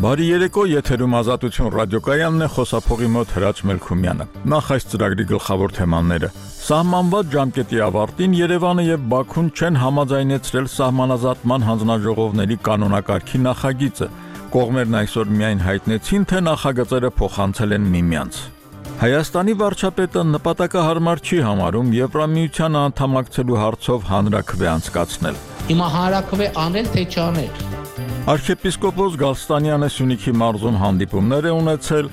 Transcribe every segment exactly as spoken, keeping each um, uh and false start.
Բարի երեկո, եթերում Ազատություն ռադիոկայանն է, խոսափողի մոտ Հրաչ Մելքումյանը։ Նախ այս ծրագրի գլխավոր թեմաները։ Սահմանված ժամկետի ավարտին Երևանը եւ Բաքուն չեն համաձայնեցրել սահմանազատման հանձնաժողովների կանոնակարգի նախագիծը։ Կողմերն այսօր միայն հայտնեցին, թե նախագծերը փոխանցել են միմյանց։ Հայաստանի վարչապետը նպատակահարմար չի համարում Եվրամիության անդամակցելու հարցով հանրաքվե անցկացնել։ Հիմա հանրաքվե անել թե չանել։ Արքեպիսկոպոս Գալստանյանը Սյունիքի մարզում հանդիպումներ է ունեցել։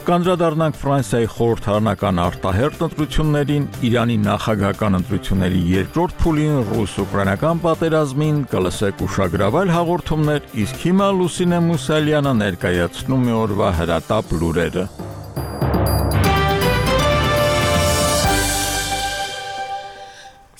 Կանդրադառնանք Ֆրանսիայի խորհրդարանական արտահերթ ընտրություններին, Իրանի նախագահական ընտրությունների երկրորդ փուլին, ռուս-ուկրաինական պատերազմին, կլսեք ուշագրավայր հաղորդումներ, իսկ հիմա Լուսինե Մուսալյանը ներկայացնում է օրվա հրատապ լուրերը։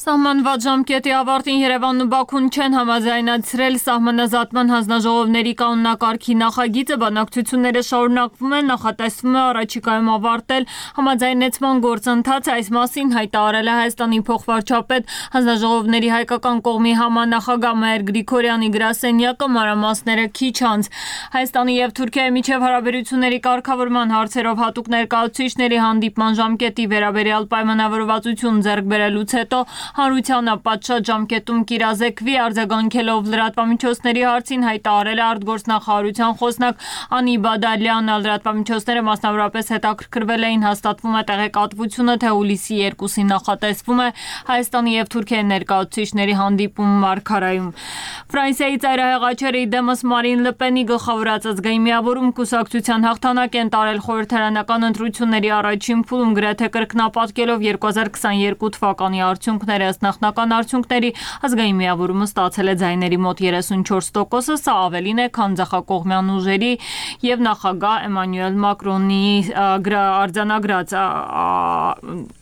Սահմանված ժամկետի ավարտին Երևանն ու Բաքուն չեն համաձայնեցրել սահմանազատման հանձնաժողովների կանոնակարգի նախագիծը, բանակցությունները շարունակվում են, նախատեսվում է առաջիկայում ավարտել համաձայնեցման գործընթացը, այս մասին հայտարարել է Հայաստանի փոխվարչապետ, հանձնաժողովների հայկական կողմի համանախագահ Մհեր Գրիգորյանի գրասենյակը, մանրամասները քիչ անց։ Հայաստանի եւ Թուրքիայի միջև հարաբերությունների կարգավորման հարցերով հատուկ ներկայացուցիչների հանդիպման ժամկետի վերաբերյալ պայմանավորվածություն ձեռք բերելուց հետո Հանրությանը պատշաճ ժամկետում կիրազեկվի, արձագանքելով լրատվամիջոցների հարցին հայտարարել է արտգործնախարարության խոսնակ Անի Բադալյանը, լրատվամիջոցները մասնավորապես հետաքրքրվել էին, հաստատվում է տեղեկատվությունը, թե հուլիսի երկուսին նախատեսվում է Հայաստանի եւ Թուրքիայի ներկայացուցիչների հանդիպում Մարգարայում։ Ֆրանսիայի ծայրահեղաչերը դեմս Մարին Լպենի գլխավորած ազգային միավորում կուսակցության հաղթանակ են տարել խորհրդարանական ընտրությունների առաջին փուլում, գրեթե կրկնապատկելով երկու հազար քսաներկու թվականի արդյունքները։ Ըստ նախնական արդյունքների ազգային միավորումը ստացել է ձայների մոտ երեսունչորս տոկոսը, սա ավելին է, քան ձախակողմյան ուժերի եւ նախագահ Էմանուել Մակրոնի արձանագրած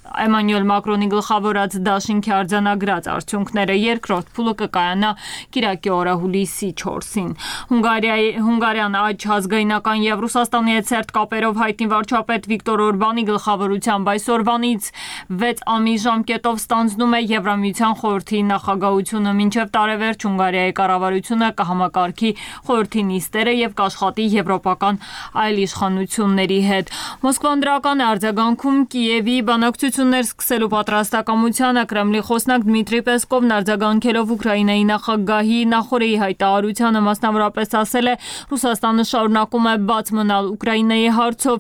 Էմանուել Մակրոնի գլխավորած դաշինքի արձանագրած արդյունքները։ Երկրորդ փուլը կկայանա կիրակի օրը հուլիսի չորսին։ Հունգարիայի Հունգարիան աջ ազգայնական եւ Ռուսաստանի հետ սերտ կապերով հայտնի վարչապետ Վիկտոր Օրբանի գլխավորությամբ այսօրվանից վեց ամիս ժամկետով ստանձնում է Եվրամիության խորհրդի նախագահությունը, մինչև տարեվերջ Հունգարիայի կառավարությունը կհամակարգի խորհրդի նիստերը եւ կաշխատի եվրոպական այլ իշխանությունների հետ։ Մոսկվան դրական է արձագանքում Կիևի բանակցություններ սկսելու պատրաստակամությանը։ Կրեմլի խոսնակ Դմիտրի Պեսկովն արձագանքելով Ուկրաինայի նախագահի նախորդի հայտարարությանը մասնավորապես ասել է. Ռուսաստանը շարունակում է բաց մնալ Ուկրաինայի հարցով,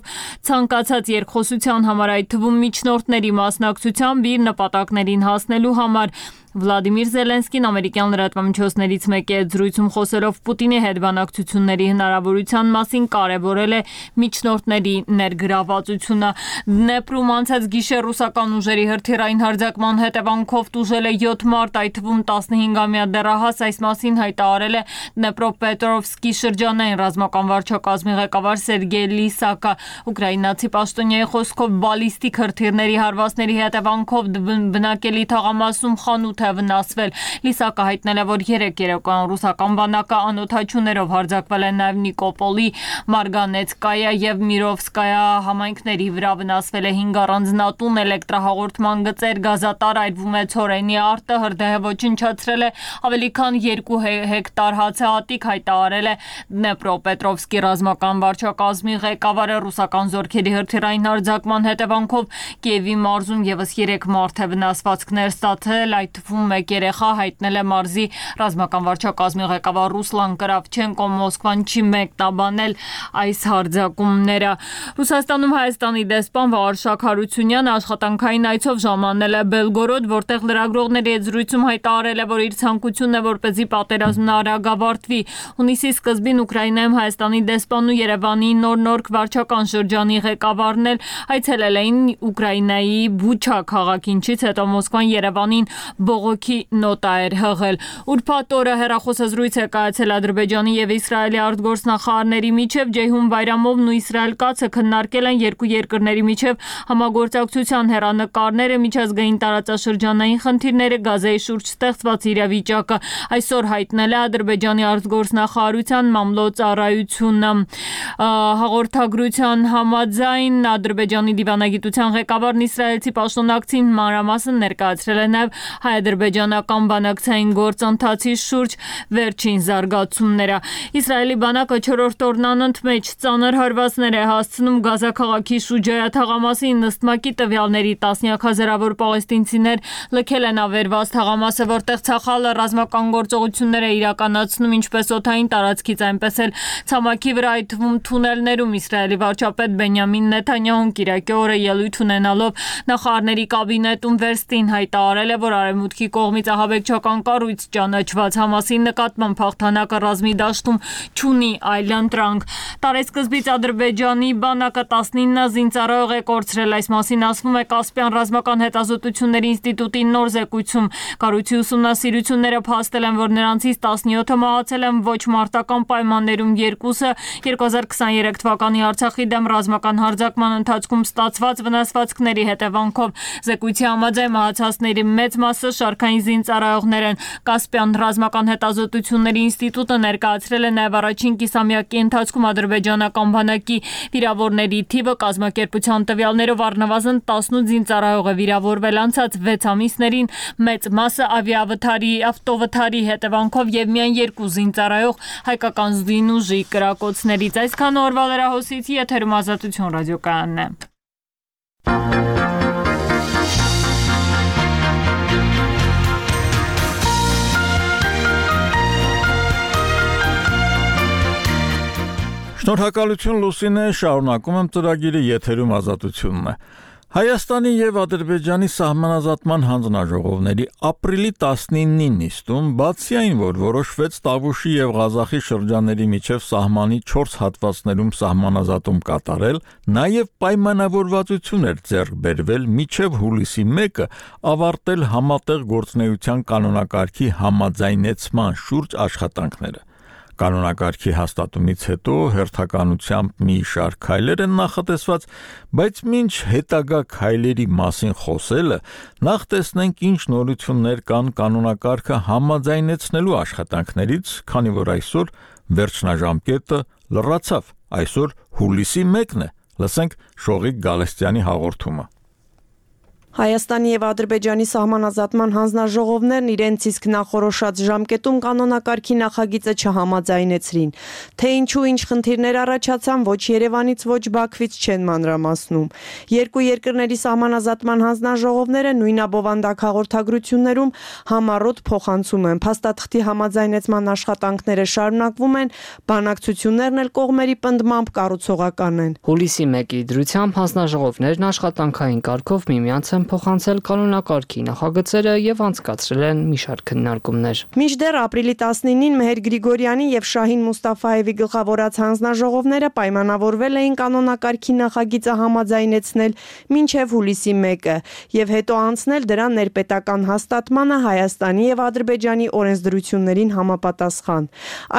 ցանկացած երկխոսության համար, այդ թվում միջնորդների մասնակցությամբ իր նպատակներին հասնելու համար։ Վլադիմիր Զելենսկին ամերիկյան լրատվամիջոցներից մեկի հետ զրույցում խոսելով Պուտինի հետ բանակցությունների հնարավորության մասին կարևորել է միջնորդների ներգրավվածությունը։ Դնեպրում անցած գիշեր ռուսական ուժերի հրթիռային հարձակման հետևանքով տուժել է յոթ մարդ, այդ թվում տասնհինգամյա դեռահաս, այս մասին հայտարարել է Դնեպրոպետրովսկի շրջանային ռազմական վարչակազմի ղեկավար Սերգեյ Լիսակը։ Ուկրաինացի պաշտոնյայի խոսքով բալիստիկ հրթիռների հարվածների հետևանքով բնակելի թաղամասում խանութ է վնասվել։ Լիսակը հայտնել է, որ երեք երեկոյան ռուսական բանակը անօդաչուներով հարձակվել է նաև Նիկոպոլի, Մարգանեցկայա եւ Միրովսկայա համայնքների վրա, վնասվել է հինգ առանձնատուն, էլեկտրահաղորդման գծեր, գազատար, այրվում է ցորենի արտը, հրդեհը ոչնչացրել է ավելի քան երկու հեկտար հացահատիկ, հայտարարել է Դնեպրոպետրովսկի ռազմական վարչակազմի ղեկավարը։ Ռուսական զորքերի հրթիռային հարձակման հետևանքով Կիևի մարզում եւս երեք մարդ է վնասվածքներ ստացել, այդ թվում մեկ երեխա, հայտնել է մարզի ռազմական վարչակազմի ղեկավար Ռուսլան Կրավչենկո։ Մոսկվան չի մեկնաբանել այս հարձակումները։ Ռուսաստանում Հայաստանի դեսպան Վաղարշակ Հարությունյանը աշխատանքային այցով ժամանել է Բելգորոդ, որտեղ լրագրողների հետ զրույցում հայտարարել է, որ իր ցանկությունն է, որպեսզի պատերազմն արագ ավարտվի։ Հունիսի սկզբին Ուկրաինայում Հայաստանի դեսպանն ու Երևանի նոր-նորք վարչական շրջանի ղեկավարն էլ այցելել էին Ուկրաինայի Բուչա քաղաք, ինչից հետո Մոսկվան Երևանին բողոքի նոտա էր հղել։ Ուրբաթ օրը հեռախոսազրույց է կայացել Ադրբեջանի եւ Իսրայելի արտգործնախարարների միջև։ Ջեյհուն Բայրամովն ու Իսրայել Կացը քննարկել են երկու երկրների միջև համագործակցության հեռանկարները, միջազգային տարածաշրջանային խնդիրները, Գազայի շուրջ ստեղծված իրավիճակը։ Այսօր հայտնել է Ադրբեջանի արտգործնախարարության մամլոյ-ծառայությունը։ Հաղորդագրության համաձայն Ադրբեջանի դիվանագիտության ղեկավարն իսրայելցի պաշտոնակցին մանրամասն ներկայացրել է նաև իսրայելի-ադրբեջանական բանակցային գործընթացի շուրջ վերջին զարգացումները։ Իսրայելի բանակը չորրորդ օրն անընդմեջ ծանր հարվածներ է հասցնում Գազա քաղաքի Շուջայա թաղամասի նստմակի տվյալների տասնյակ հազարավոր պաղեստինցիներ լքել են ավերված թաղամասը, որտեղ ցախալը ռազմական գործողություններ է իրականացնում ինչպես օդային տարածքից, այնպես էլ ցամաքի վրա, այդ թվում թունելներում։ Իսրայելի վարչապետ Բենյամին Նեթանյահուն կիրակի օրը ելույթ ունենալով նախարարների կաբինետում վերստին հայտարարել է, որ արևմուտքի կողմից ահաբեկչական կառույց ճանաչված Համասի նկատմամբ հաղթանակը ռազմի դաշտում չունի այլ ընտրանք։ Տարեսկզբից Ադրբեջանի բանակը տասնինը զինծառայող է կորցրել, այս մասին ասվում է Կասպյան ռազմական հետազոտությունների ինստիտուտի նոր զեկույցում։ Կառույցի ուսումնասիրությունները փաստել են, որ նրանցից տասնյոթը մահացել են ոչ մարտական պայմաններում, երկուսը երկու հազար քսաներեք թվականի Արցախի դեմ ռազմական հարձակման ընթացքում ստացված վնասվածքների հետևանքով։ Զեկույցի համաձայն մահացածների մեծ մասը շարքային զինծառայողներ են։ Կասպյան ռազմական հետազոտությունների ինստիտուտը ներկայացրել է նաև առաջին կիսամյակի ընթացքում ադրբեջանական բանակի վիրավորների թիվը կազմակերպության տվյալներով առնվազն տասնութ զինծառայող է վիրավորվել անցած վեց ամիսներին, մեծ մասը ավիավթարի, ավտովթարի հետևանքով եւ միայն երկու զինծառայող հայկական զինուժի կրակոցներից։ Այսքան օրվա լրահոսից եթերում Ազատություն ռադիոկայանն է։ Շնորհակալություն Լուսինե, շարունակում եմ ծրագիրը, եթերում Ազատությունն է։ Հայաստանի եւ Ադրբեջանի սահմանազատման հանձնաժողովների ապրիլի տասնինին նիստում, բացի այն, որ որոշվեց Տավուշի եւ Ղազախի շրջանների միջև սահմանի չորս հատվածներում սահմանազատում կատարել, նաեւ պայմանավորվածություն էր ձեռք բերվել մինչեւ հուլիսի մեկը ավարտել համատեղ գործունեության կանոնակարգի համաձայնեցման շուրջ աշխատանքները։ Կանոնակարգի հաստատումից հետո հերթականությամբ մի շարք քայլեր են նախատեսված, բայց մինչ հետագա քայլերի մասին խոսելը, նախ տեսնենք ինչ նորություններ կան կանոնակարգը համաձայնեցնելու աշխատանքներից, քանի որ այսօր վերջնաժամկետը լրացավ, այսօր հուլիսի մեկն է։ Լսենք Շողիկ Գալստյանի հաղորդումը։ Հայաստանի եւ Ադրբեջանի սահմանազատման հանձնաժողովներն իրենց իսկ նախորոշած ժամկետում կանոնակարգի նախագիծը չհամաձայնեցրին, թե ինչու ինչ խնդիրներ առաջացան, ոչ Երևանից, ոչ Բաքվից չեն մանրամասնում։ Երկու երկրների սահմանազատման հանձնաժողովները նույն abովանդակ հաղորդագրություններում համառոտ փոխանցում են։ Փաստաթղթի համաձայնեցման աշխատանքները շարունակվում են, բանակցություններն էլ կողմերի պնդմամբ կառուցողական են։ Հուլիսի մեկի դրությամբ հանձնաժողովներն աշխատանքային կարգով միմյանց են փոխանցել կանոնակարգի նախագծերը եւ անցկացրել են մի շարք քննարկումներ։ Մինչդեռ ապրիլի տասնինին Մեհեր Գրիգորյանի եւ Շահին Մուստաֆաևի գլխավորած հանձնաժողովները պայմանավորվել էին կանոնակարգի նախագիծը համաձայնեցնել մինչեւ հուլիսի մեկը եւ հետո անցնել դրա ներպետական հաստատմանը Հայաստանի եւ Ադրբեջանի օրենսդրություններին համապատասխան։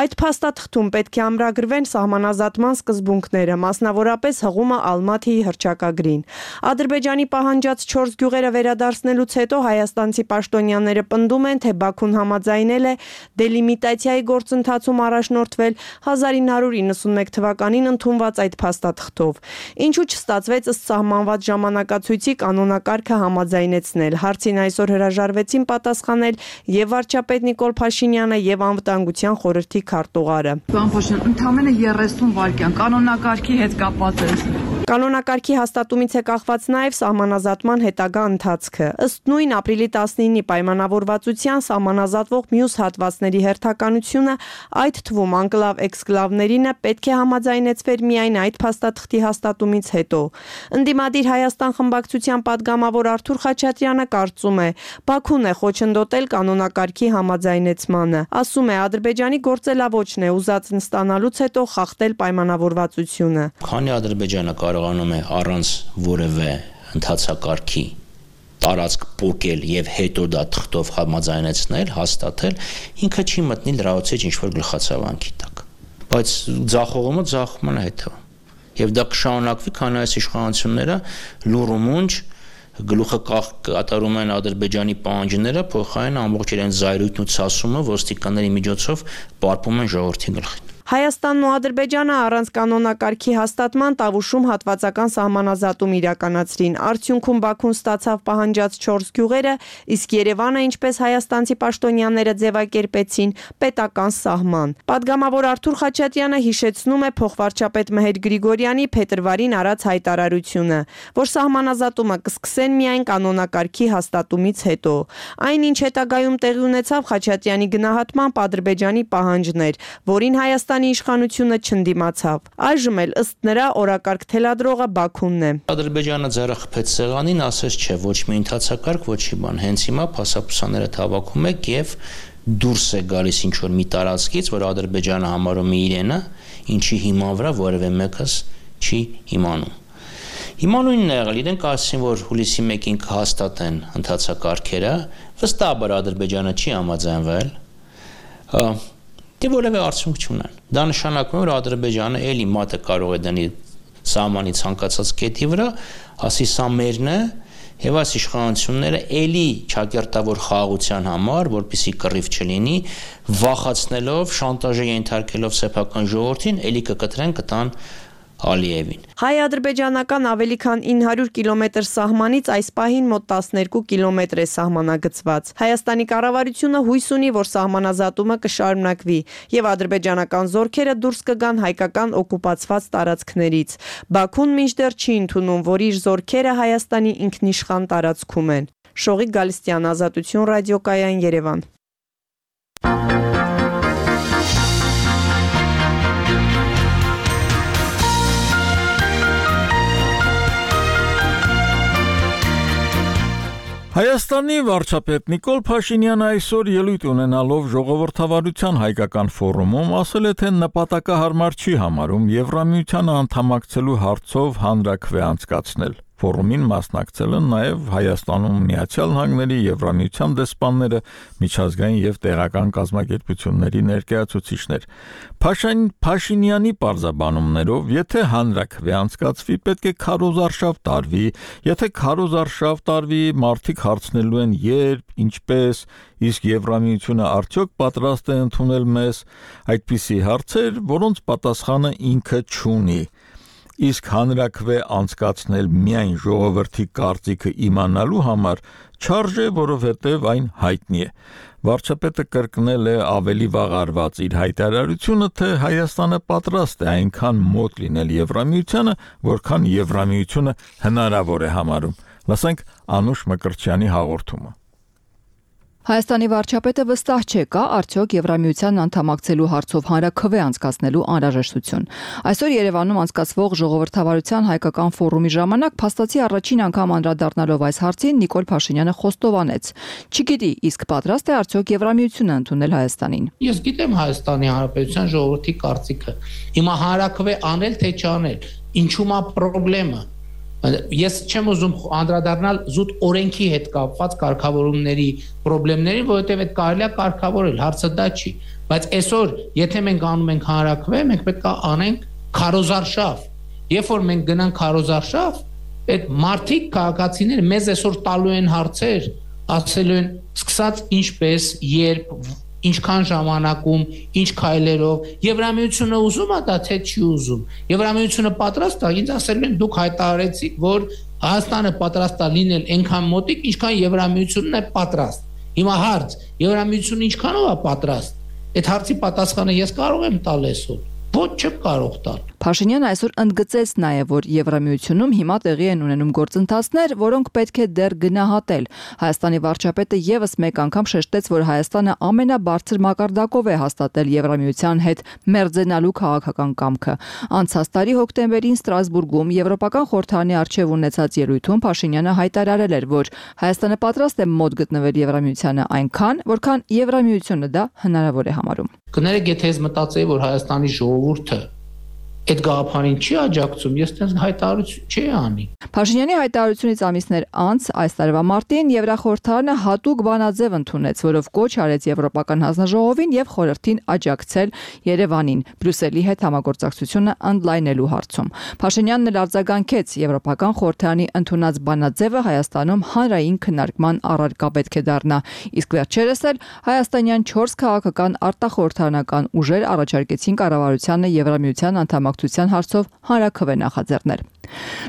Այդ փաստաթղթում պետք է ամրագրվեն սահմանազատման սկզբունքները, մասնավորապես հղումը Ալմաթիի հռչակագրին։ Ադրբեջանի պահանջած չորս գյուղերը վերադարձնելուց հետո հայաստանցի պաշտոնյաները պնդում են, թե Բաքուն համաձայնել է դելիմիտացիայի գործընթացում առաջնորդվել հազար ինը հարյուր իննսունմեկ թվականին ընդունված այդ փաստաթղթով։ Ինչու չստացվեց ըստ սահմանված ժամանակացույցի կանոնակարգը համաձայնեցնել։ Հարցին այսօր հրաժարվեցին պատասխանել եւ վարչապետ Նիկոլ Փաշինյանը եւ անվտանգության խորհրդի քարտուղարը։ Պարոն Փաշինյան, ընդամենը երեսուն վայրկյան կանոնակարգի հետ կապված է։ Կանոնակարգի հաստատումից է կախված նաև սահմանազատման հետագա ընթացքը։ Ըստ նույն ապրիլի տասնինի պայմանավորվածության սահմանազատվող մյուս հատվածների հերթականությունը, այդ թվում անկլավ-էքսկլավներինը պետք է համաձայնեցվեր միայն այդ փաստաթղթի հաստատումից հետո։ Ընդդիմադիր Հայաստան խմբակցության падգամավոր Արթուր Խաչատրյանը կարծում է, Բաքուն է խոչընդոտել կանոնակարգի համաձայնեցմանը։ Ասում է, Ադրբեջանի գործելավոճն է ուզածն ստանալուց հետո խախտել պայմանավորվածությունը։ Քանի Ադրբեջանը կարողանում է առանց որևէ ընթացակարգի տարածք փոկել եւ հետո դա թղթով համաձայնեցնել, հաստատել, ինքը չի մտնի լրացուցիչ ինչ-որ գլխացավանքի տակ։ Բայց ձախողումը ձախումն է հետո։ Եվ դա կշարունակվի, քանի այս իշխանությունները լուրումունջ գլուխը կատարում են Ադրբեջանի պահանջները, փոխարեն ամբողջ իրենց զայրույթն ու ցասումը ոստիկանների միջոցով պարփում են ժողովրդի գլխին։ Հայաստանն ու Ադրբեջանը առանց կանոնակարգի հաստատման Տավուշում հատվածական սահմանազատում իրականացրին։ Արդյունքում Բաքուն ստացավ պահանջած չորս գյուղերը, իսկ Երևանը, ինչպես հայաստանցի պաշտոնյաները ձևակերպեցին, պետական սահման։ Պատգամավոր Արթուր Խաչատյանը հիշեցնում է փոխվարչապետ Մհեր Գրիգորյանի փետրվարին արած հայտարարությունը, որ սահմանազատումը կսկսեն միայն կանոնակարգի հաստատումից հետո։ Այն, ինչ հետագայում տեղի ունեցավ, Խաչատյանի գնահատմամբ Ադրբեջանի պահանջն էր, որին Հայաստանի իշխանությունը չընդդիմացավ։ Այժմ էլ ըստ նրա օրակարգ թելադրողը Բաքունն է։ Ադրբեջանը ձեռախփեց սեղանին, ասես չէ, ոչ մի ընթացակարգ, ոչի բան։ Հենց հիմա փասապուսաները թավաքում եք եւ դուրս է գալիս ինչ որ մի տարածքից, որ Ադրբեջանը համարում է իրենը, ինչի հիման վրա որևէ մեկս չի իմանում։ Հիմա նույնն է եղել, իրենք ասին, որ հուլիսի մեկին կհաստատեն ընթացակարգերը, վստահաբար Ադրբեջանը չի համաձայնվել։ Դե որևէ արդյունք չունեն։ Դա նշանակում է, որ Ադրբեջանը էլի մատը կարող է դնի սահմանի ցանկացած կետի վրա, ասի սա մերն է, եւ այս իշխանությունները էլի ճակերտավոր խաղաղության համար, որպեսզի կռիվ չլինի, վախացնելով, շանտաժի ենթարկելով սեփական ժողովրդին, էլի կկտրեն կտան Ալիևին։ Հայ-ադրբեջանական ավելի քան ինը հարյուր կիլոմետր սահմանից այս պահին մոտ տասներկու կիլոմետր է սահմանագծված։ Հայաստանի կառավարությունը հույս ունի, որ սահմանազատումը կշարունակվի եւ ադրբեջանական զորքերը դուրս կգան հայկական օկուպացված տարածքներից։ Բաքուն մինչդեռ չի ընդունում, որ իր զորքերը Հայաստանի ինքնիշխան տարածքում են։ Շողիկ Գալստյան, Ազատություն ռադիոկայան, Երևան։ Հայաստանի վարչապետ Նիկոլ Փաշինյանը այսօր ելույթ ունենալով ժողովրդավարության հայկական ֆորումում ասել է, թե նպատակահարմար չի համարում Եվրամիությանը անդամակցելու հարցով հանրաքվե անցկացնել։ Ֆորումին մասնակցել են նաև Հայաստանում Միացյալ Նահանգների Եվրամիության դեսպանները, միջազգային եւ տեղական կազմակերպությունների ներկայացուցիչներ։ Փաշինյանի պարզաբանումներով, եթե հանրաքվե անցկացվի, պետք է քարոզարշավ տարվի, եթե քարոզարշավ տարվի, մարդիկ հարցնելու են երբ, ինչպես, իսկ Եվրամիությունը արդյոք պատրաստ է ընդունել մեզ, այդպիսի հարցեր, որոնց պատասխանը ինքը չունի։ Իսկ հանրաքվե անցկացնել միայն ժողովրդի կարծիքը իմանալու համար չարժե, որովհետև այն հայտնի է։ Վարչապետը կրկնել է ավելի վաղ արված իր հայտարարությունը, թե Հայաստանը պատրաստ է այնքան մոտ լինել Եվրամիությանը, որքան Եվրամիությունը հնարավոր է համարում։ Լսենք Անուշ Մկրտչյանի հաղորդումը։ Հայաստանի վարչապետը վստահ չէ, կա արդյոք Եվրամիության անդամակցելու հարցով հանրաքվե անցկացնելու անհրաժեշտություն։ Այսօր Երևանում անցկացվող ժողովրդավարության հայկական ֆորումի ժամանակ փաստացի առաջին անգամ անդրադառնալով այս հարցին Նիկոլ Փաշինյանը խոստովանեց. «Չգիտի, իսկ պատրաստ է արդյոք Եվրամիությունը ընդունել Հայաստանին»։ Ես գիտեմ Հայաստանի Հանրապետության ժողովրդի կարծիքը։ Հիմա հանրաքվե անել թե չանել, ինչու՞մ է խնդրեմը։ Ես չեմ ուզում անդրադառնալ զուտ օրենքի հետ կապված կարգավորումների խնդիրներին, որովհետև այդ կարելի է կարգավորել, հարցը դա չի, բայց այսօր եթե մենք անում ենք հանրաքվե, մենք պետք է անենք քարոզարշավ։ Երբ որ մենք գնանք քարոզարշավ, այդ մարդիկ քաղաքացիները մեզ այսօր տալու են հարցեր, ասելու են սկսած ինչպես, երբ, ինչքան ժամանակում, ինչ քայլերով, Եվրամիությունը ուզում է դա թե չի ուզում։ Եվրամիությունը պատրաստ է, ինձ ասել են դուք հայտարարեցիք, որ Հայաստանը պատրաստ է լինել այնքան մոտիկ, ինչքան Եվրամիությունն է պատրաստ։ Հիմա հարց, Եվրամիությունը ինչքանով է պատրաստ։ Այդ հարցի պատասխանը ես կարող եմ տալ այսօր։ Ոչ չեմ կարող տալ։ Փաշինյանը այսօր ընդգծեց նաև, որ Եվրամիությունում հիմա տեղի են ունենում գործընթացներ, որոնք պետք է դեռ գնահատել։ Հայաստանի վարչապետը եւս մեկ անգամ շեշտեց, որ Հայաստանը ամենաբարձր մակարդակով է հաստատել Եվրամիության հետ մերձենալու քաղաքական կամքը։ Անցած տարի հոկտեմբերին Ստրասբուրգում Եվրոպական խորհրդարանի առջև ունեցած ելույթում Փաշինյանը հայտարարել էր, որ Հայաստանը պատրաստ է մոտ գտնվել Եվրամիությանը այնքան, որքան Եվրամիությունը դա հնարավոր է համարում։ Կներեք, եթե ես մտածեի, որ Հայաստանի ժողովուրդը այդ գաղափարին չի աջակցում, ես դες հայտարարություն չի անի։ Փաշինյանի հայտարարությունից ամիսներ անց այս տարվա մարտին Եվրախորհրդարանը հատուկ բանաձև ընդունեց, որով կոչ արեց Եվրոպական հանձնաժողովին եւ խորհրդին աջակցել Երևանին Բրյուսելի հետ համագործակցությունը ընդլայնելու հարցում։ Փաշինյանն էլ արձագանքեց Եվրոպական խորհրդարանի ընդունած բանաձևը Հայաստանում հանրային քննարկման առարկա պետք է դառնա, իսկ վերջերս էլ հայաստանյան չորս քաղաքական արտախորհրդարանական ուժեր առաջարկեցին կառավարությանը Եվրամիության անդամակցության հարցով հանրաքվե նախաձեռնել։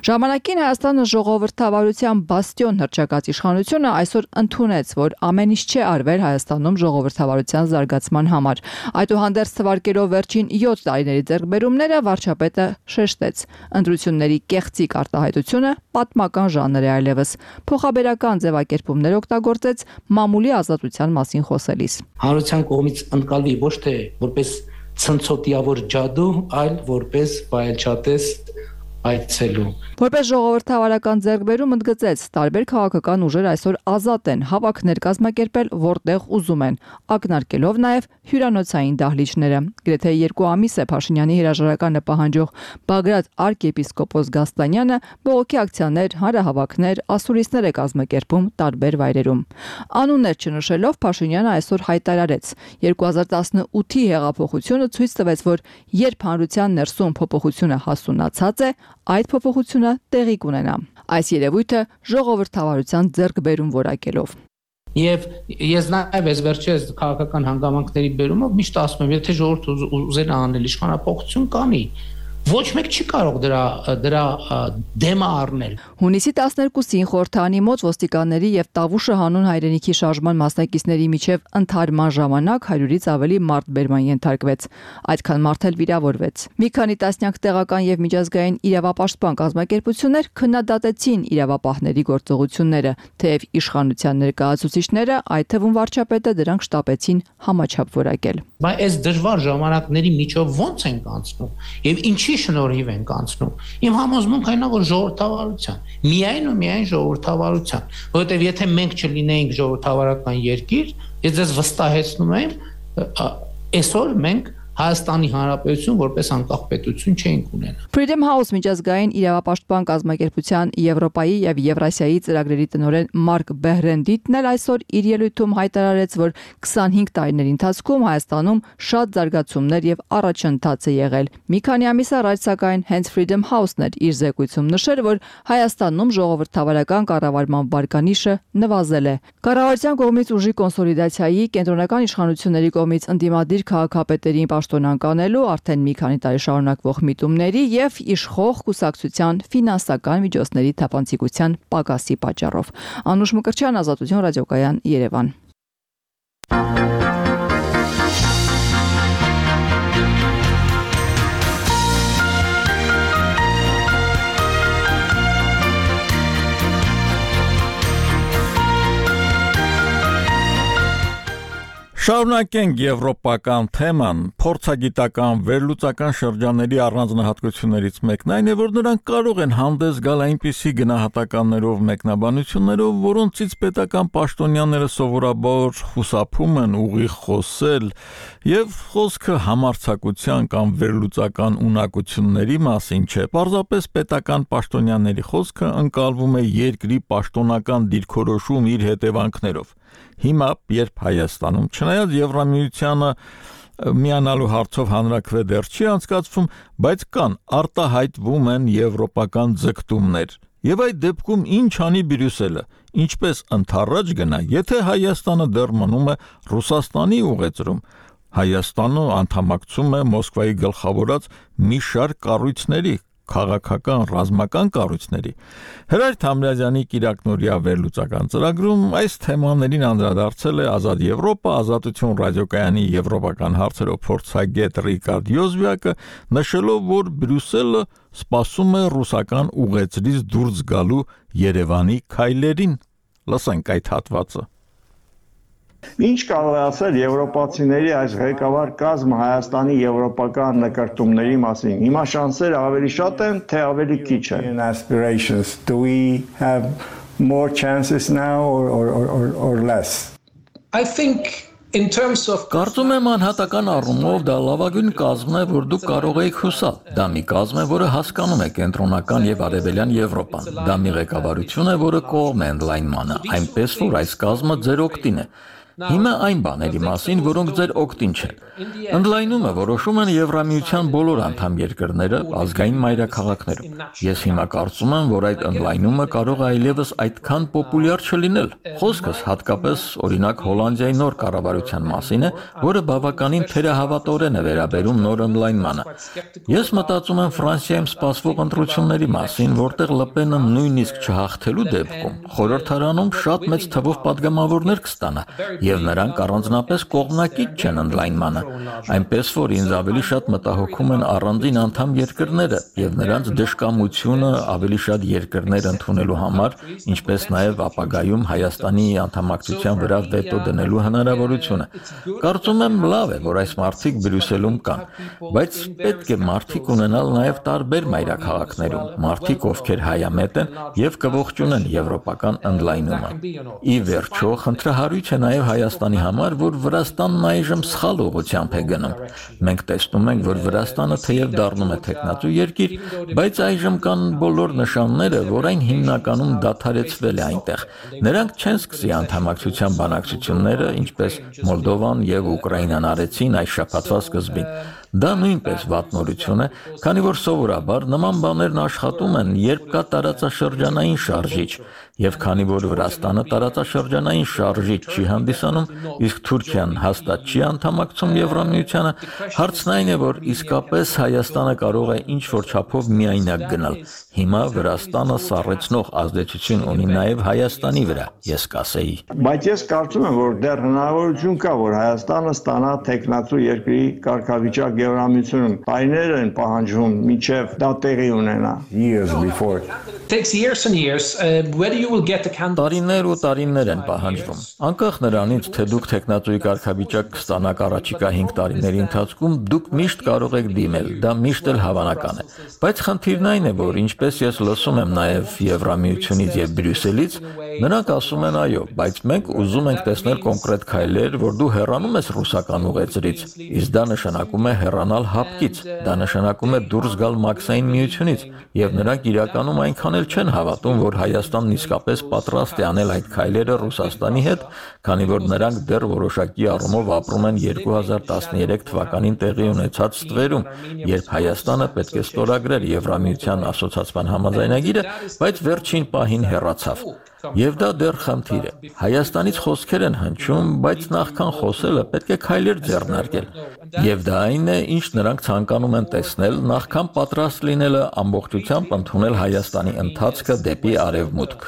Ժամանակին Հայաստանը ժողովրդավարության բաստիոն հռչակած իշխանությունը այսօր ընդունեց, որ ամեն ինչ չի արվել Հայաստանում ժողովրդավարության զարգացման համար։ Այդուհանդերձ թվարկելով վերջին յոթ տարիների ձեռքբերումները վարչապետը շեշտեց. ընտրությունների կեղծիկ արտահայտությունը պատմական ժանր է այլևս։ Փոխաբերական ձևակերպումներ օգտագործեց մամուլի ազատության մասին խոսելիս։ Հանրության կողմից ընկալվի ոչ թե որպես ցնցոտիավոր ջադու, այլ որպես վայելչատես այցելու։ Որպես ժողովրդավարական ձեռքբերում ընդգծեց, տարբեր քաղաքական ուժեր այսօր ազատ են հավաքներ կազմակերպել, որտեղ ուզում են, ակնարկելով նաև հյուրանոցային դահլիճները։ Գրեթե երկու ամիս է Փաշինյանի հրաժարականը պահանջող Բագրատ arczepiskopos Գաստանյանը բողոքի ակցիաներ, հանրահավաքներ, ասուլիսներ է կազմակերպում տարբեր վայրերում։ Անուններ չնշելով Փաշինյանը այսօր հայտարարեց. երկու հազար տասնութի հեղափոխությունը ցույց տվեց, որ երբ հանրության ներսում փոփոխությունը հասունացած է, այդ փոփոխությունը տեղի կունենա։ Այս երևույթը ժողովրդավարության ձեռքբերում որակելով։ Եվ ես նաև ես վերջերս քաղաքական հանգամանքների բերումով միշտ ասում եմ, եթե ժողովուրդը ուզեն անել իշխանապողություն կանի, ոչ մեկ չի կարող դրա դրա դեմը առնել։ Հունիսի տասներկուսին խորհրդանի մոտ ոստիկանների եւ Տավուշը հանուն հայրենիքի շարժման մասնակիցների միջև ընդհարման ժամանակ հարյուրից ավելի մարդ բերման ենթարկվեց։ Այդքան մարդ էլ վիրավորվեց։ Մի քանի տասնյակ տեղական եւ միջազգային իրավապաշտպան կազմակերպություններ քննադատեցին իրավապահների գործողությունները, թեև իշխանության ներկայացուցիչները, այդ թվում վարչապետը դրանք շտապեցին համաչափ որակել։ Բայց այս դժվար ժամանակների միջով ո՞նց ենք անցնում եւ ինչի շնորհիվ ենք անցնում։ Իմ համոզմունքն այն է, որ ժողովրդավարության, միայն ու միայն ժողովրդավարության, որովհետեւ եթե մենք չլինեինք ժողովրդավարական երկիր, ես ձեզ վստահեցնում եմ, այսօր մենք Հայաստանի Հանրապետություն որպես անկախ պետություն չէինք ունենա։ Freedom House միջազգային իրավապաշտպան կազմակերպության Եվրոպայի եւ Եվրասիայի ծրագրերի տնօրեն Մարկ Բեհրենդիտն էլ այսօր իր ելույթում հայտարարեց, որ քսանհինգ տարիների ընթացքում Հայաստանում շատ զարգացումներ եւ առաջընթաց է եղել։ Մի քանի ամիս առաջ սակայն հենց Freedom House-ն էր իր զեկույցում նշել, որ Հայաստանում ժողովրդավարական կառավարման վարկանիշը նվազել է։ Կառավարության կողմից ուժի կոնսոլիդացիայի, կենտրոնական իշխանությունների կողմից ընդդիմադիր քաղաքապետերին պաշտոնան կանելու արդեն մի քանի տարի շարունակվող միտումների եւ իշխող կուսակցության ֆինանսական միջոցների թափանցիկության պակասի պատճառով։ Անուշ Մկրտչյան, Ազատություն ռադիոկայան, Երևան։ Շարունակենք եվրոպական թեման, փորձագիտական վերլուծական շրջանների առանձնահատկություններից մեկն այն է, որ նրանք կարող են հանդես գալ այնպիսի գնահատականներով, մեկնաբանություններով, որոնցից պետական պաշտոնյաները սովորաբար խուսափում են ուղիղ խոսել, եւ խոսքը համարձակության կամ վերլուծական ունակությունների մասին չէ, պարզապես պետական պաշտոնյաների խոսքը ընկալվում է երկրի պաշտոնական դիրքորոշում իր հետևանքներով։ Հիմա, երբ Հայաստանում, չնայած Եվրամիությանը միանալու հարցով հանրաքվե դեռ չի անցկացվում, բայց կան արտահայտվում են եվրոպական ձգտումներ։ Եվ այդ դեպքում ինչ անի Բրյուսելը, ինչպես ընդառաջ գնա, եթե Հայաստանը դեռ մնում է Ռուսաստանի ուղեծրում։ Հայաստանը անդամակցում է Մոսկվայի գլխավորած մի շարք կառույցների, քաղաքական, ռազմական կառույցների։ Հրայր Թամրազյանի Կիրակնորիա վերլուծական ծրագրում այս թեմաներին անդրադարձել է Ազատ Եվրոպա, Ազատություն ռադիոկայանի եվրոպական հարցերով փորձագետ Ռիկարդ Յոզվիակը, նշելով, որ Բրյուսելը սպասում է ռուսական ուղեծրից դուրս գալու Երևանի քայլերին։ Լսենք այդ հատվածը։ Ինչ կարող է ասել եվրոպացիների այս ղեկավար կազմը Հայաստանի եվրոպական նկարտումների մասին։ Հիմա շանսերը ավելի շատ են, թե ավելի քիչ են։ Aspirations. Do we have more chances now or or or or less? I think Կարծում եմ անհատական առումով դա լավագույն կազմն է, որ դուք կարող եք հուսալ։ Դա մի կազմ է, որը հասկանում է կենտրոնական եւ արևելյան Եվրոպան։ Դա մի ղեկավարություն է, որը կողմ է ընդլայնմանը, այնպես որ այս կազմը ձեր օգտին է։ Հիմա այն բաների մասին, որոնք ձեր օգտին չեն։ Ընդլայնումը որոշում են Եվրամիության բոլոր անդամ երկրները ազգային մայրաքաղաքներում։ Ես հիմա կարծում եմ, որ այդ ընդլայնումը կարող է այլևս այդքան պոպուլյար չլինել։ Խոսքս հատկապես օրինակ Հոլանդիայի նոր կառավարության մասին է, որը բավականին թերահավատորեն է վերաբերում նոր ընդլայնմանը։ Ես մտածում եմ Ֆրանսիայում սպասվող ընտրությունների մասին, որտեղ Լը Պենը նույնիսկ չհաղթելու դեպքում խորհրդարանում շատ մեծ թվով падգամավորներ կստանա։ Եվ նրանք առանձնապես կողմնակից չեն ընդլայնմանը, այնպես որ ինձ ավելի շատ մտահոգում են առանձին անդամ երկրները եւ նրանց դժկամությունը ավելի շատ երկրներ ընդունելու համար, ինչպես նաեւ ապագայում Հայաստանի անդամակցության վրա վետո դնելու հնարավորությունը։ Կարծում եմ լավ է, որ այս մարդիկ Բրյուսելում կան, բայց պետք է մարդիկ ունենալ նաեւ տարբեր մայրաքաղաքներում, մարդիկ, ովքեր հայամետ են եւ կողջունեն եվրոպական ընդլայնումը։ Ի վերջո, խնդրահարույց է նաեւ Հայաստանի համար, որ Վրաստանն այժմ սխալ ուղղությամբ է գնում։ Մենք տեսնում ենք, որ Վրաստանը թեև դառնում է թեկնածու երկիր, բայց այժմ կան բոլոր նշանները, որ այն հիմնականում դադարեցվել է այնտեղ։ Նրանք չեն սկսի անդամակցության բանակցությունները, ինչպես Մոլդովան եւ Ուկրաինան արեցին այս շաբաթվա սկզբին։ Դա նույնպես վատ նորություն է, քանի որ սովորաբար նման բաներն աշխատում են, երբ կա տարածաշրջանային շարժիչ, եւ քանի որ Վրաստանը տարածաշրջանային շարժիչ չի հանդիսանում, իսկ Թուրքիան հաստատ չի անդամակցում Եվրամիությանը, հարցն այն է, որ իսկապես Հայաստանը կարող է ինչ-որ չափով միայնակ գնալ։ Հիմա Վրաստանը սառեցնող ազդեցություն ունի նաեւ Հայաստանի վրա, ես կասեի։ Բայց ես կարծում եմ, որ դեռ հնարավորություն կա, որ Հայաստանը ստանա թեկնածու երկրի կարգավիճակ Եվրամիությունում։ Տարիներ են պահանջվում, մինչև դա տեղի ունենա։ Years before. Takes years and years. Uh, whether you will get the candidate. Տարիներ ու տարիներ են պահանջվում։ Անկախ նրանից, թե դուք թեկնածուի կարգավիճակ կստանաք առաջիկա հինգ տարիների ընթացքում, դուք միշտ կարող եք դիմել, դա միշտ էլ հավանական է։ Բայց խնդիրն այն է, որ ինչպես ես լսում եմ նաև Եվրամիությունից եւ Բրյուսելից, նրանք ասում են այո, բայց մենք ուզում ենք տեսնել կոնկրետ քայլեր, որ դու հեռանում ես ռուսական ուղեծրից, իսկ դա նշանակում է հեռանալ հապկից, դա նշանակում է դուրս գալ մաքսային միությունից, եւ նրանք իրականում այնքան էլ չեն հավատում, որ Հայաստանն իսկապես պատրաստ է անել այդ քայլերը Ռուսաստանի հետ, քանի որ նրանք դեռ որոշակի առումով ապրում են երկու հազար տասներեք թվականին տեղի ունեցած ստվերում, երբ Հայաստանը պետք է ստորագրեր Եվրամիության ասոցիացիան համաձայնագիրը, բայց վերջին պահին հեռացավ։ Եվ դա դեռ խնդիր է։ Հայաստանից խոսքեր են հնչում, բայց նախքան խոսելը պետք է քայլեր ձեռնարկել։ Եվ դա այն է, ինչ նրանք ցանկանում են տեսնել, նախքան պատրաստ լինելը ամբողջությամբ ընդունել Հայաստանի ընթացքը դեպի արևմուտք։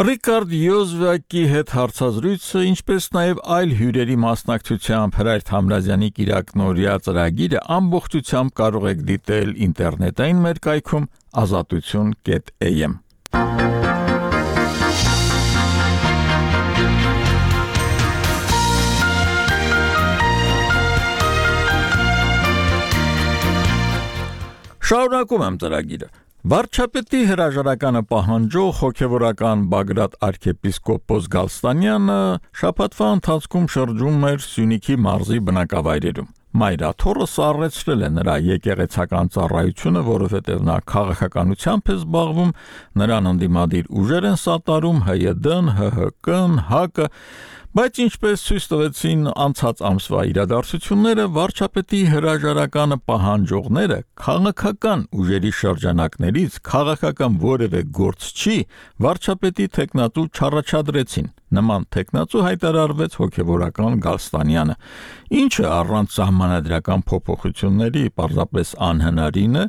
Ռիկարդ Յոզվակի հետ հարցազրույցը, ինչպես նաև այլ հյուրերի մասնակցությամբ Հրայր Թամրազյանի կիրակնօրյա ծրագիրը ամբողջությամբ կարող եք դիտել ինտերնետային մեր կայքում ազատություն կետ էյ էմ։ Շարունակում եմ ծրագիրը։ Վարչապետի հրաժարականը պահանջող հոգևորական Բագրատ arczepiskopos Գալստանյանը շաբաթվա ընթացքում շրջում էր Սյունիքի մարզի բնակավայրերում։ Մայրաթորը սառեցրել է նրա եկեղեցական ծառայությունը, որովհետև նա քաղաքականությամբ է զբաղվում, նրան ընդդիմադիր ուժեր են սատարում Հ Յ D-ն, Հ Հ K-ն, Հ Կ-ը, բայց ինչպես ցույց տվեցին անցած ամսվա իրադարձությունները, վարչապետի հրաժարականը պահանջողները քաղաքական ուժերի շրջանակներից քաղաքական որևէ գործ չի վարչապետի տեխնատու չառաջադրեցին։ Նման տեխնատու հայտարարվեց հոգևորական Գալստանյանը, ինչը առանց սահմանադրական փոփոխությունների պարզապես անհնարին է,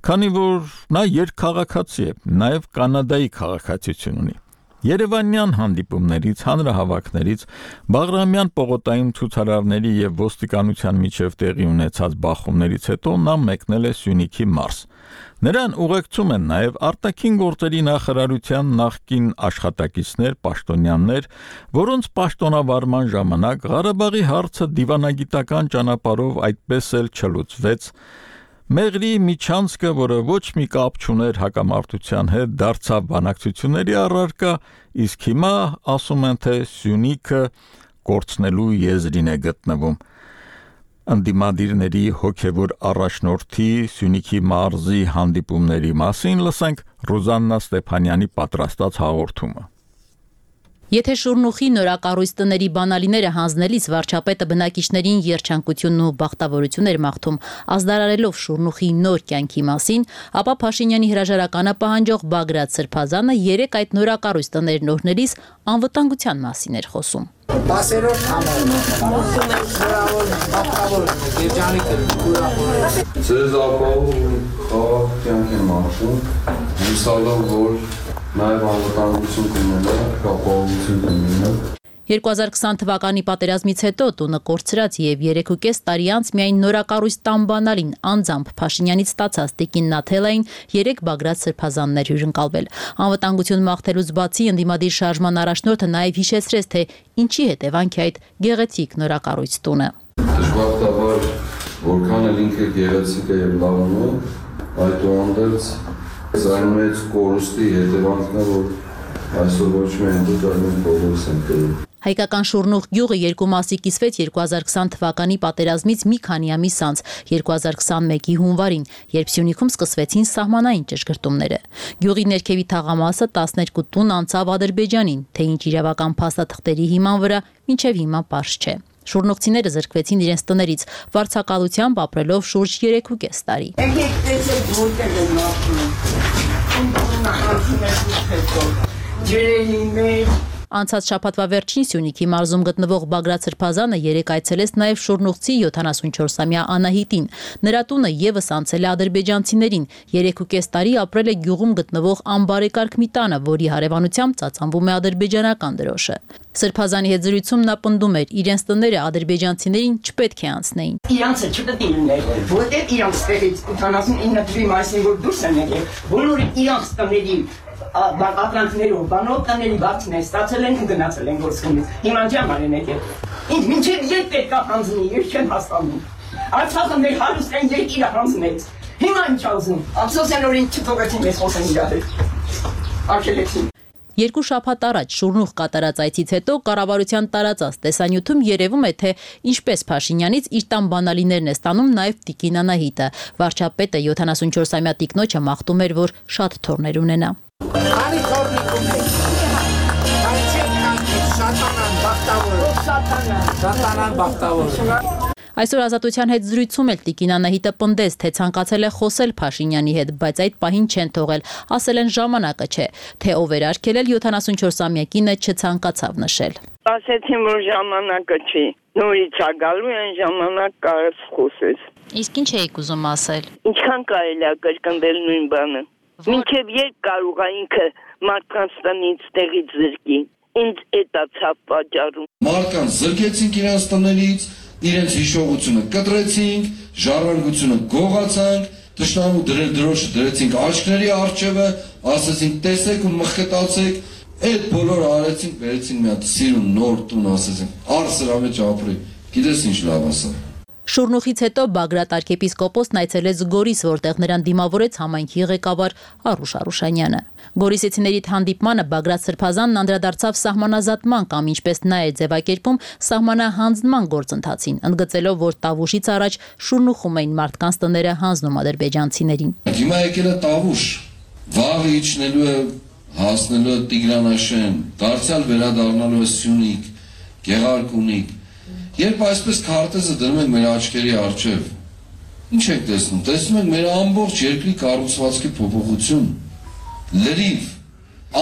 քանի որ նա երկքաղաքացի է, նաև Կանադայի քաղաքացիություն ունի։ Երևանյան հանդիպումներից, հանրահավաքներից, Բաղրամյան պողոտայում ցուցարարների եւ ոստիկանության միջև տեղի ունեցած բախումներից հետո նա մեկնել է Սյունիքի մարզ։ Նրան ուղեկցում են նաև արտաքին գործերի նախարարության նախկին աշխատակիցներ, պաշտոնյաներ, որոնց պաշտոնավարման ժամանակ Ղարաբաղի հարցը դիվանագիտական ճանապարհով այդպես էլ չլուծվեց։ Մեղրի Միչանսկը, որը ոչ մի կապ չուներ հակամարտության հետ, դարձավ բանակցությունների առարկա, իսկ հիմա ասում են, թե Սյունիքը կորցնելու եզրին է գտնվում։ Անդիմադիրների հոգևոր առաջնորդի Սյունիքի մարզի հանդիպումների մասին լսենք Ռուզաննա Ստեփանյանի պատրաստած հաղորդումը։ Եթե Շուրնուխի նորակառույց տների բանալիները հանձնելիս վարչապետը բնակիչներին երջանկությունն ու բախտավորություն էր մաղթում, ազդարարելով Շուրնուխի նոր կյանքի մասին, ապա Փաշինյանի հրաժարականը պահանջող Բագրատ Սրբազանը երեք այդ նորակառույց տներն օրհնելիս անվտանգության մասին էր խոսում։ Բասերով Ձեզ ապահովում խաղաղ կյանք եմ մաղթում, հուսալով, որ նաև անվտանգություն կունենա, ապահովություն կունենա։ երկու հազար քսան թվականի պատերազմից հետո տունը կորցրած եւ երեքուկես տարի անց միայն նորակառույց տան բանալին անձամբ Փաշինյանից ստացած Տիկին Նաթելային երեք Բագրատ Սրբազաններ հյուրընկալվել։ Անվտանգություն մաղթելուց բացի ընդդիմադիր շարժման առաջնորդը նաև հիշեցրեց, թե ինչի հետևանք է այդ գեղեցիկ նորակառույց տունը։ Դժբախտաբար, որքան էլ ինքը գեղեցիկ է եւ լավն է, այդուհանդերձ այն մեծ կորուստի հետևանքն է, որ այսօր ոչ միայն դուք, այլ մենք բոլորս ենք կրում։ Հայկական Շուրնուխ գյուղը երկու մասի կիսվեց երկու հազար քսան թվականի պատերազմից մի քանի ամիս անց, երկու հազար քսանմեկի հունվարին, երբ Սյունիքում սկսվեցին սահմանային ճշգրտումները։ Գյուղի ներքևի թաղամասը տասներկու տուն անցավ Ադրբեջանին, թե ինչ իրավական փաստաթղթերի հիման վրա մինչև հիմա պարզ չէ։ Շուրնուխցիները զրկվեցին իրենց տներից, վարձակալությամբ ապրելով շուրջ երեքուկես տարի։ Անցած շաբաթվա վերջին Սյունիքի մարզում գտնվող Բագրատ Սրբազանը երեկ այցելեց նաև շուրնուխցի յոթանասունչորսամյա Անահիտին։ Նրա տունը եւս անցել է ադրբեջանցիներին, երեքուկես տարի ապրել է գյուղում գտնվող անբարեկարգ մի տանը, որի հարևանությամբ ծածանվում է ադրբեջանական դրոշը։ Սրբազանի հետ զրույցում նա պնդում էր, իրենց տները ադրբեջանցիներին չպետք է անցնեին։ Իրանցը չպետք է լիներ, որտեղ իրանց տեղից ութանասունինը թվի մասին որ դուրս են եկել, բոլորը իրանց տների ապրանքներով, բանով տների բացն է, ստացել են ու գնացել են գործունից։ Հիմա ջաման են եկել։ Ինձ մինչև երբ պետք է հանձնի, ես չեմ հասկանում։ Արցախը մեր հարուստային երկիրը հանձնեց։ Հիմա ինչ ասում։ Ափսոս են որ ինձ չթողեցին մեզ խոսեն իրար հետ։ Արգելեցին։ Երկու շաբաթ առաջ Շուրնուխ կատարած այցից հետո կառավարության տարածած տեսանյութում երևում է, թե ինչպես Փաշինյանից իր տան բանալիներն է ստանում նաև Տիկին Անահիտը։ Վարչապետը յոթանասունչորսամյա տիկնոջը մաղթում էր, որ շատ թոռներ ունենա։ Արի թորնիկում եք։ Շատանան բախտավոր։ Շատանան բախտավոր։ Այսօր Ազատության հետ զրույցում էլ Տիկին Անահիտը պնդեց, թե ցանկացել է խոսել Փաշինյանի հետ, բայց այդ պահին չեն թողել, ասել են ժամանակը չէ, թե ով էր արգելել յոթանասունչորսամյա կինը չցանկացավ նշել։ Ասեցին, որ ժամանակը չի, նորից է գալու են ժամանակ կարս խոսես։ Իսկ ինչ էիք ուզում ասել։ Ինչքան կարելի է կրկնել նույն բանը։ Մինչև երբ կարող է ինքը մարդկանց տնից տեղից զրկի։ Ինձ էդ է ցավ պատճառում։ Մարդկանց զրկեցինք իրենց տներից, իրենց հիշողությունը կտրեցինք, ժառանգությունը գողացանք, թշնամու դրել դրոշը դրեցինք աչքների առջևը, ասեցինք տեսեք ու մխկետացեք, այդ բոլորը արեցինք, վերեցինք մի հատ սիրուն նոր տուն, ասեցինք, առ սրա մեջ ապրի, գիտես ինչ լավ ասա։ Շուրնուխից հետո Բագրատ arczepiskopոսն այցելեց Գորիս, որտեղ նրան դիմավորեց համայնքի ղեկավար Արուշ Արուշանյանը։ Գորիսեցիների հանդիպմանը Բագրատ Սրբազանն անդրադարձավ սահմանազատման կամ ինչպես նա է ձևակերպում սահմանահանձնման գործընթացին, ընդգծելով, որ Տավուշից առաջ Շուրնուխում էին մարդկանց տները հանձնում ադրբեջանցիներին։ Հիմա եկել է Տավուշ, վաղ իջնելու է հասնելու է Տիգրանաշեն, դարձյալ վերադառնալու է Սյունիք, Գեղարքունիք։ Երբ այսպես քարտեզը դնում ենք մեր աչքերի առջև, ինչ եք տեսնում։ Տեսնում ենք մեր ամբողջ երկրի կառուցվածքի փոփոխություն, լրիվ,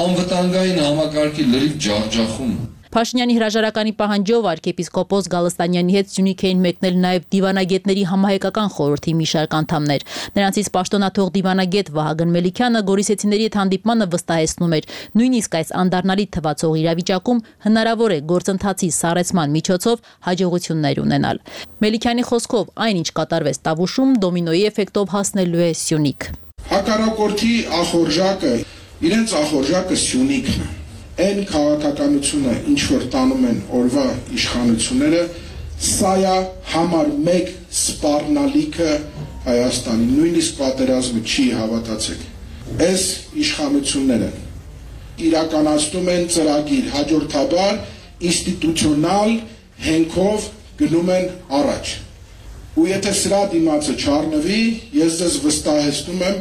անվտանգային համակարգի լրիվ ջախջախում։ Փաշինյանի հրաժարականի պահանջով arczepiskopos Գալստանյանի հետ Սյունիք էին մեկնել նաև դիվանագետների համահայկական խորհրդի մի շարք անդամներ։ Նրանցից պաշտոնաթող դիվանագետ Վահագն Մելիքյանը Գորիսեցիների հետ հանդիպմանը վստահեցնում էր, նույնիսկ այս անդառնալի թվացող իրավիճակում հնարավոր է գործընթացի սառեցման միջոցով հաջողություններ ունենալ։ Մելիքյանի խոսքով այն, ինչ կատարվեց Տավուշում, դոմինոյի էֆեկտով հասնելու է Սյունիք։ Հակառակորդի ախորժակը, իրենց ախորժակը Սյունիքն է։ Այն քաղաքականությունը, ինչ որ տանում են օրվա իշխանությունները, սա է համար մեկ սպառնալիքը Հայաստանի, նույնիսկ պատերազմը չի հավատացեք։ Այս իշխանությունները իրականացնում են ծրագիր հաջորդաբար ինստիտուցիոնալ հենքով գնում են առաջ։ Ու եթե սրա դիմացը չառնվի, ես ձեզ վստահեցնում եմ,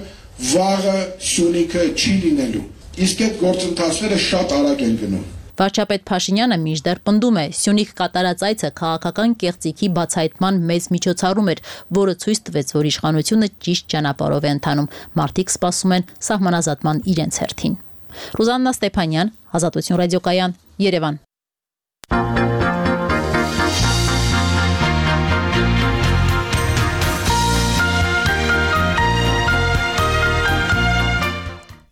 վաղը Սյունիքը չի լինելու։ Իսկ այդ գործընթացները շատ արագ են գնում։ Վարչապետ Փաշինյանը մինչդեռ պնդում է, Սյունիք կատարած այցը քաղաքական կեղծիքի բացահայտման մեծ միջոցառում էր, որը ցույց տվեց, որ իշխանությունը ճիշտ ճանապարհով է ընթանում։ Մարդիկ սպասում են սահմանազատման իրենց հերթին։ Ռուզաննա Ստեփանյան, Ազատություն ռադիոկայան, Երևան։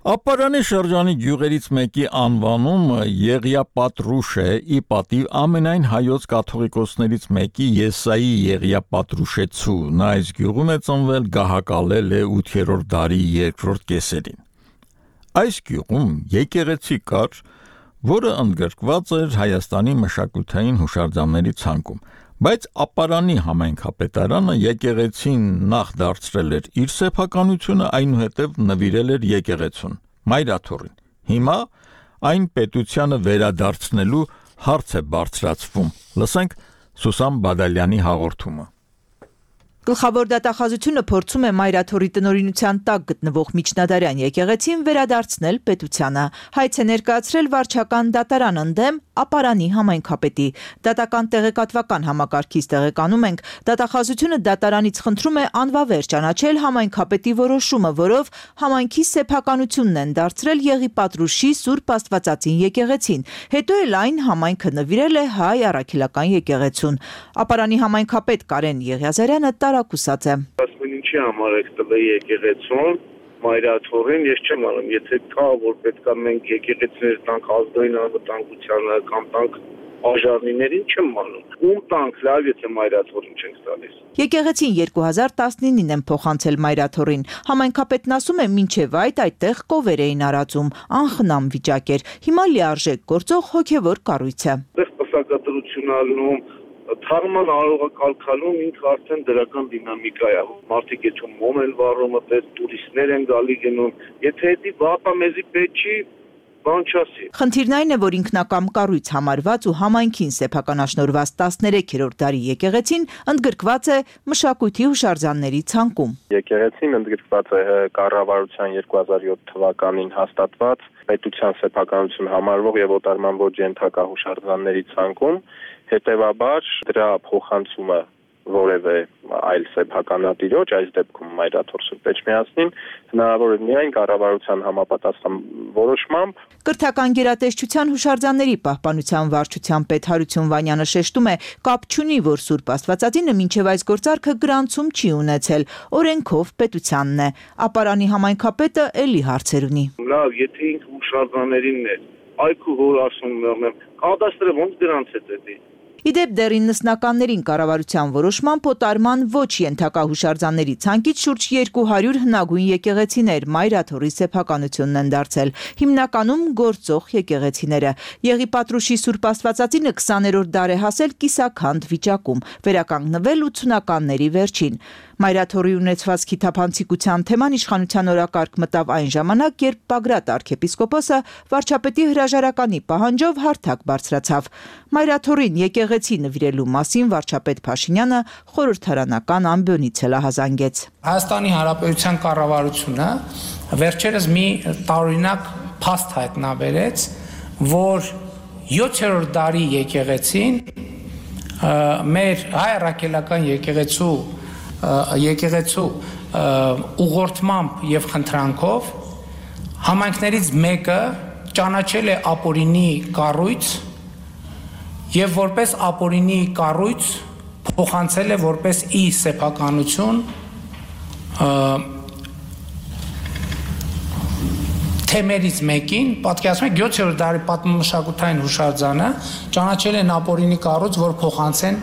Ապարանի շրջանի գյուղերից մեկի անվանումը Եղիապատրուշ է, ի պատիվ ամենայն հայոց կաթողիկոսներից մեկի Եսայի Եղիապատրուշեցու։ Նա այս գյուղում է ծնվել, գահակալել է ութերորդ դարի երկրորդ կեսերին։ Այս գյուղում եկեղեցի կար, որը ընդգրկված էր Հայաստանի մշակութային հուշարձանների ցանկում, բայց Ապարանի համայնքապետարանը եկեղեցին նախ դարձրել էր իր սեփականությունը, այնուհետև նվիրել էր եկեղեցուն, Մայրաթորին։ Հիմա այն պետությանը վերադարձնելու հարց է բարձրացվում։ Լսենք Սուսան Բադալյանի հաղորդումը։ Գլխավոր դատախազությունը փորձում է Մայրաթորի տնօրինության տակ գտնվող Միջնադարյան եկեղեցին վերադարձնել պետությանը։ Հայց է ներկայացրել վարչական դատարան ընդդեմ Ապարանի համայնքապետի։ Դատական տեղեկատվական համակարգից տեղեկանում ենք, դատախազությունը դատարանից խնդրում է անվավեր ճանաչել համայնքապետի որոշումը, որով համայնքի սեփականությունն են դարձրել Եղիպատրուշի Սուրբ Աստվածածին եկեղեցին։ Հետո էլ այն համայնքը նվիրել է Հայ առաքելական եկեղեցուն։ Ապարանի համայնքապետ Կարեն Եղիազարյանը տարակուսած է։ Ասում ինչի համար եք տվել եկեղեցուն Մայրաթորին, ես չեմ անում, եթե կա, որ պետքա մենք եկեղեցիներ տանք ազգային անվտանգությանը կամ տանք աժարնիներին, չեմ անում։ Ում տանք, լավ, եթե Մայրաթորին չենք տալիս։ Եկեղեցին երկու հազար տասնինին են փոխանցել Մայրաթորին։ Համայնքապետն ասում է, մինչև այդ այդտեղ կովեր էին արածում, անխնամ վիճակ էր։ Հիմա լիարժեք գործող հոգևոր կառույց է։ Այդտեղ պսակադրություն ալնում, թարման արողակալքալում ինքը արդեն դրական դինամիկա է։ Մարդիկ եթում մոմ են վառում, այդպես տուրիստներ են գալի գնում։ Եթե դա բապա մեզի պետք չի, բան չասի։ Խնդիրն այն է, որ ինքնակամ կառույց համարված ու համայնքին սեփականաշնորհված տասներեքերորդ դարի եկեղեցին ընդգրկված է մշակույթի հուշարձանների ցանկում։ Եկեղեցին ընդգրկված է կառավարության երկու հազար յոթ թվականին հաստատված պետության սեփականություն համարվող եւ օտարման ոչ ենթակա հուշարձանների ցանկում, հետեւաբար դրա փոխանցումը որևէ այլ սեփականատիրոջ, այս դեպքում Մայրաթոր Սուրբ Էջմիածնին, հնարավոր է միայն կառավարության համապատասխան որոշմամբ։ Կրթական գերատեսչության հուշարձանների պահպանության վարչության պետ Հարություն Վանյանը շեշտում է, կապ չունի, որ Սուրբ Աստվածածինը մինչև այս գործարքը գրանցում չի ունեցել, օրենքով պետությանն է։ Ապարանի համայնքապետը էլի հարցեր ունի։ Լավ, եթե ինքը հուշարձաններինն է, այգու հոր ասում եմ, կադաստրը ոնց գրանցեց դա։ Իդեպ դեռ իննսնականներին կառավարության որոշմամբ օտարման ոչ ենթակա հուշարձանների ցանկից շուրջ երկու հարյուր հնագույն եկեղեցիներ Մայրաթորի սեփականությունն են դարձել, հիմնականում գործող եկեղեցիները։ Եղիպատրուշի Սուրբ Աստվածածինը քսաներորդ դար է հասել կիսաքանդ վիճակում, վերականգնվել ութսունականների վերջին։ Մայրաթորի ունեցվածքի թափանցիկության թեման իշխանության օրակարգ մտավ այն ժամանակ, երբ Բագրատ arczepiskopos-ը վարչապետի հրաժարականի պահանջով հարթակ բարձրացավ։ Մայրաթորին եկեղեցի նվիրելու մասին վարչապետ Փաշինյանը խորհրդարանական ամբիոնից հելահազանգեց։ Հայաստանի Հանրապետության կառավարությունը վերջերս մի տարօրինակ փաստ հայտնաբերեց, որ յոթերորդ դարի եկեղեցին մեր հայ առաքելական եկեղեցու եկեղեցու ուղղորդմամբ եւ խնդրանքով համայնքներից մեկը ճանաչել է ապօրինի կառույց եւ որպես ապօրինի կառույց փոխանցել է որպես ի սեփականություն թեմերից մեկին, պատկերացնում եք յոթերորդ դարի պատմամշակութային հուշարձանը ճանաչել են ապօրինի կառույց, որ փոխանցեն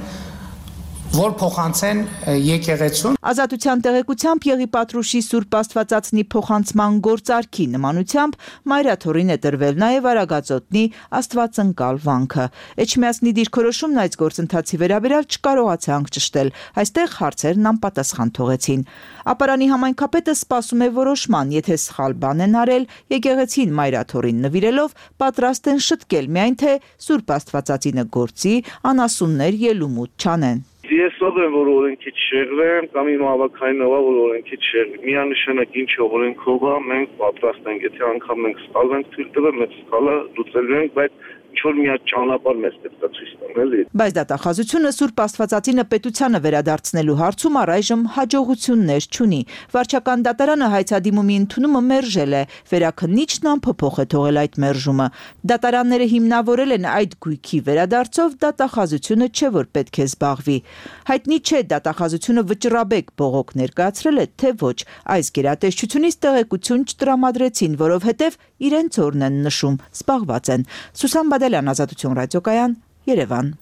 որ փոխանցեն եկեղեցուն։ Ազատության տեղեկությամբ Եղի Պատրուշի Սուրբ Աստվածածնի փոխանցման գործարքի նմանությամբ մայրաթորին է տրվել նաև Արագածոտնի Աստվածընկալ վանքը։ Էջմիածնի դիրքորոշումն այս գործընթացի վերաբերյալ չկարողացանք ճշտել, այստեղ հարցերն անպատասխան թողեցին։ Ապարանի համայնքապետը սպասում է որոշման, եթե սխալ բան են արել, եկեղեցին մայրաթորին նվիրելով պատրաստ են շտկել, միայն թե Սուրբ Աստվածածինը գործի, անասուններ ելումուտ չանեն։ Ես ով եմ, որ օրենքի չշեղվեմ, կամ իմ հավաքայինով, որ օրենքի չշեղվի։ Միանշանակ ինչով օրենքով է, մենք պատրաստ ենք, եթե անգամ մենք սխալ ենք թույլ տվել, մենք սխալը լուծելու ենք, բայց ինչ-որ մի հատ ճանապարհ մեզ պետք է ցույց տան, էլի։ Բայց դատախազությունը Սուրբ Աստվածածինը պետությանը վերադարձնելու հարցում առայժմ հաջողություններ չունի։ Վարչական դատարանը հայցադիմումի ընդունումը մերժել է, վերաքննիչն անփոփոխ է թողել այդ մերժումը։ Դատարանները հիմնավորել են այդ գույքի վերադարձով, դատախազությունը չէ որ պետք է զբաղվի։ Հայտնի չէ դատախազությունը վճռաբեկ բողոք ներկայացրել է, թե ոչ։ Այս գերատեսչությունից տեղեկություն չտրամադրեցին, որովհետև իրենց օրն են նշում, զբաղված են։ Սուսան Բադալյան, Ազատություն ռադիոկայան, Երևան։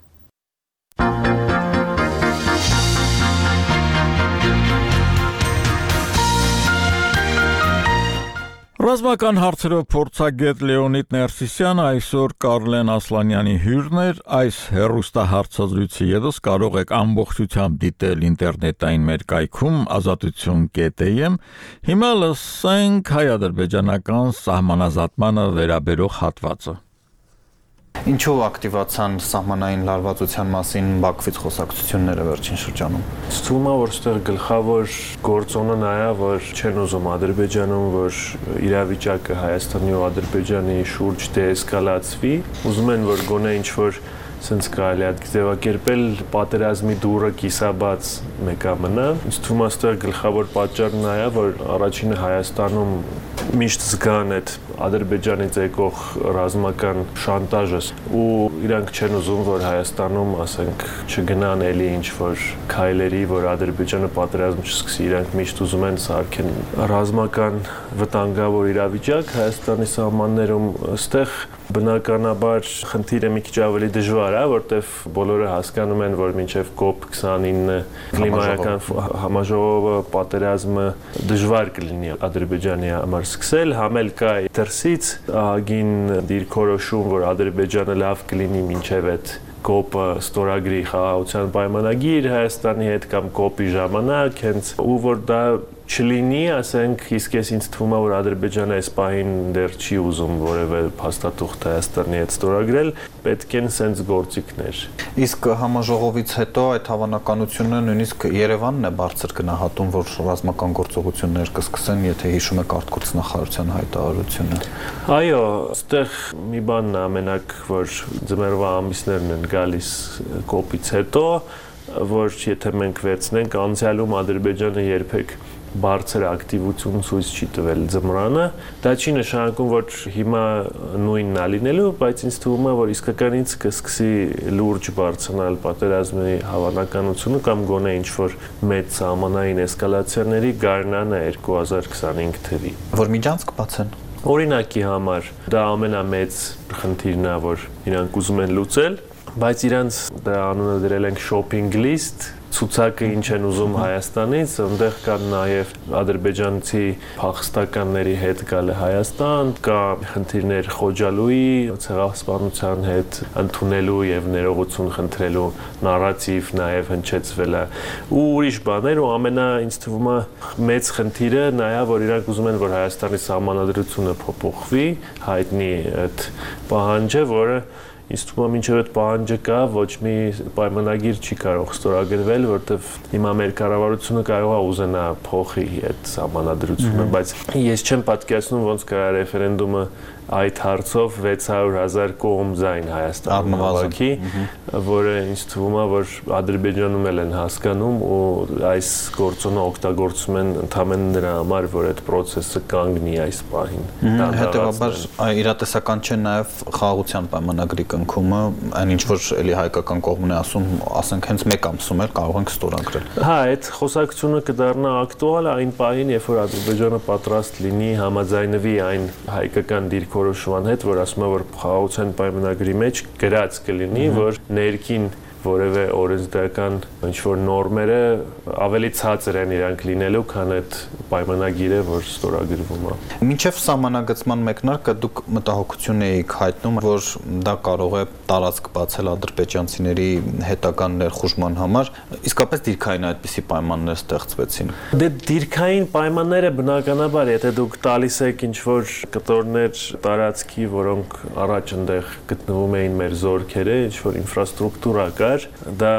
Ռազմական հարցերով փորձագետ Լեոնիդ Ներսիսյանը այսօր Կարլեն Ասլանյանի հյուրն էր, այս հեռուստահարցազրույցը ևս կարող եք ամբողջությամբ դիտել ինտերնետային մեր կայքում ազատություն կետ էմ։ Հիմա լսենք հայ-ադրբեջանական սահմանազատմանը վերաբերող հատվածը։ Ինչու ակտիվացան սահմանային լարվածության մասին Բաքվից խոսակցությունները վերջին շրջանում։ Ստում է, որ ստեղ գլխավոր գործոնը նա է, որ չեն ուզում Ադրբեջանում, որ իրավիճակը Հայաստանի ու Ադրբեջանի շուրջ դեէսկալացվի, ուզում են, որ գոնե ինչ-որ սենց կարելի է ձևակերպել պատերազմի դուռը կիսաբաց մեկա մնա։ Ինձ թվում է ստեղ գլխավոր պատճառն նա է, որ առաջինը Հայաստանում միշտ զգան այդ Ադրբեջանից եկող ռազմական շանտաժը ու իրանք չեն ուզում, որ Հայաստանում, ասենք, չգնան էլի ինչ-որ քայլերի, որ Ադրբեջանը պատերազմ չսկսի, իրանք միշտ ուզում են սարքեն ռազմական վտանգավոր իրավիճակ Հայաստանի սահմաններում, այստեղ բնականաբար խնդիրը մի քիչ ավելի դժվար է, որտեվ բոլորը հասկանում են, որ մինչև կոպ քսանինը կլիմայական համաժողովը պատերազմը դժվար կլինի Ադրբեջանի համար սկսել, համել կա դրսից ահագին դիրքորոշում, որ Ադրբեջանը լավ կլինի մինչև այդ կոպը ստորագրի խաղաղության պայմանագիր Հայաստանի հետ կամ կոպի ժամանակ, հենց ու որ դա չլինի, ասենք, իսկ ես ինձ թվում է, որ Ադրբեջանը այս պահին դեռ չի ուզում որևէ փաստաթուղթ Հայաստանի հետ ստորագրել, պետք են սենց գործիքներ։ Իսկ համաժողովից հետո այդ հավանականությունը նույնիսկ Երևանն է բարձր գնահատում, որ ռազմական գործողություններ կսկսեն, եթե հիշում եք արտգործ նախարարության հայտարարությունը։ Այո, այստեղ մի բանն է ամենակ, որ ձմեռվա ամիսներն են գալիս կոպից հետո, որ եթե մենք վերցնենք անցյալում Ադրբեջանը երբեք բարձր ակտիվություն ցույց չի տվել ձմռանը, դա չի նշանակում, որ հիմա նույնն է լինելու, բայց ինձ թվում է, որ իսկականից կսկսի լուրջ բարձրանալ պատերազմի հավանականությունը կամ գոնե ինչ-որ մեծ սահմանային էսկալացիաների գարնանը երկու հազար քսանհինգ թվի։ Որ միջանցք բացեն։ Օրինակի համար դա ամենամեծ խնդիրն է, որ իրանք ուզում են լուծել, բայց իրանց դա անունը դրել ենք shopping list, ցուցակը ինչ են ուզում Հայաստանից, այնտեղ կան նաև ադրբեջանցի փախստականների հետ գալը Հայաստան, կա խնդիրներ Խոջալուի ցեղասպանության հետ ընդունելու եւ ներողություն խնդրելու նարատիվ նաև հնչեցվել է ու ուրիշ բաներ ու ամենա ինձ թվում է մեծ խնդիրը նա է, որ իրանք ուզում են, որ Հայաստանի սահմանադրությունը փոփոխվի, հայտնի այդ պահանջը, որը ինձ թվում է մինչև այդ պահանջը կա, ոչ մի պայմանագիր չի կարող ստորագրվել, որտեվ հիմա մեր կառավարությունը կարող է ուզենա փոխի այդ սահմանադրությունը, բայց ես չեմ պատկերացնում ոնց կարա ռեֆերենդումը այդ հարցով վեց հարյուր հազար կողմ ձայն Հայաստանում հավաքի, որը ինձ թվում է, որ Ադրբեջանում էլ են հասկանում ու այս գործոնը օգտագործում են ընդհանրապես նրա համար, որ այդ process-ը կանգնի այս պահին։ Հետևաբար իրատեսական չէ նաև խաղաղության պայմանագրի կնքումը, այն ինչ որ էլի հայկական կողմն է ասում, ասենք հենց մեկ ամսում էլ կարող ենք ստորագրել։ Հա, այդ խոսակցությունը կդառնա ակտուալ այն պահին, երբ որ Ադրբեջանը պատրաստ լինի համաձայնվի այն հայկական դիրքորոշման հետ, որ ասում է, որ խաղաղության պայմանագրի մեջ գրած կլինի, որ ներքին որևէ օրենսդրական ինչ-որ նորմերը ավելի ցածր են իրանք լինելու, քան այդ պայմանագիրը, որ ստորագրվում է։ Մինչև սահմանագծման մեկնարկը դուք մտահոգություն էիք հայտնում, որ դա կարող է տարածք բացել ադրբեջանցիների հետագան ներխուժման համար, իսկապես դիրքային այդպիսի պայմաններ ստեղծվեցին։ Դե դիրքային պայմանները բնականաբար, եթե դուք տալիս եք ինչ-որ կտորներ տարածքի, որոնք առաջ այնտեղ գտնվում էին մեր զորքերը, ինչ-որ ինֆրաստրուկտուրա կար, դա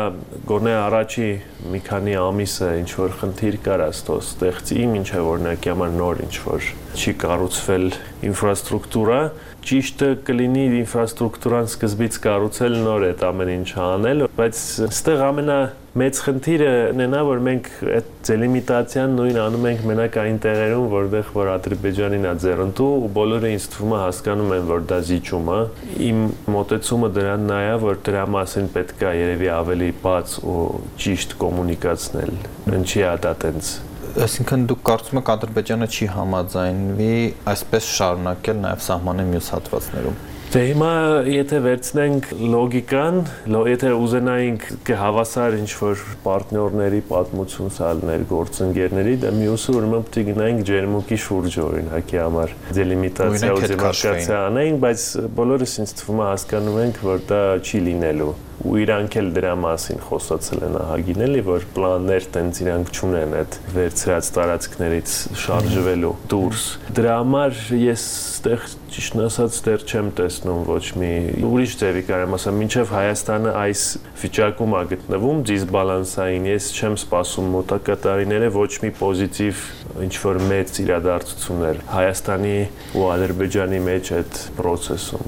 գոնե առաջի մի քանի ամիսը ինչ-որ խնդիր կար աստո ստեղծի, մինչև օրինակի համար նոր ինչ-որ չի կառուցվել ինֆրաստրուկտուրա, ճիշտը կլինի ինֆրաստրուկտուրան սկզբից կառուցել նոր այդ ամեն ինչը անել, բայց այստեղ ամենամեծ խնդիրը նենա, որ մենք այդ դելիմիտացիան նույն անում ենք մենակ այն տեղերում, որտեղ որ Ադրբեջանին է ձեռնտու, ու բոլորը ինձ թվում է հասկանում են, որ դա զիջում է։ Իմ մոտեցումը դրան նա է, որ դրա մասին պետք է երևի ավելի բաց ու ճիշտ կոմունիկացնել։ Ինչի է դա տենց։ Այսինքն դուք կարծում եք Ադրբեջանը չի համաձայնվի այսպես շարունակել նաև սահմանի մյուս հատվածներում։ Դե հիմա եթե վերցնենք լոգիկան, եթե ուզենայինք հավասար ինչ-որ պարտներների պատմություն սալներ գործընկերների, դա մյուսը ուրեմն պետք է գնայինք ջերմուկի շուրջը օրինակի համար դելիմիտացիա ու դեմարկացիա անենք, բայց բոլորս ինձ թվում է հասկանում ենք, որ դա չի լինելու։ Ու իրանք էլ դրա մասին խոսացել են ահագին էլի, որ պլաններ տենց իրանք չունեն այդ վերցրած տարածքներից շարժվելու դուրս։ Դրա համար ես այդտեղ ճիշտ ասած դեռ չեմ տեսնում ոչ մի ուրիշ ձևի կարեմ ասեմ, մինչև Հայաստանը այս վիճակում է գտնվում դիսբալանսային, ես չեմ սպասում մոտակա տարիները ոչ մի պոզիտիվ ինչ-որ մեծ իրադարձություններ Հայաստանի ու Ադրբեջանի մեջ այդ process-ում։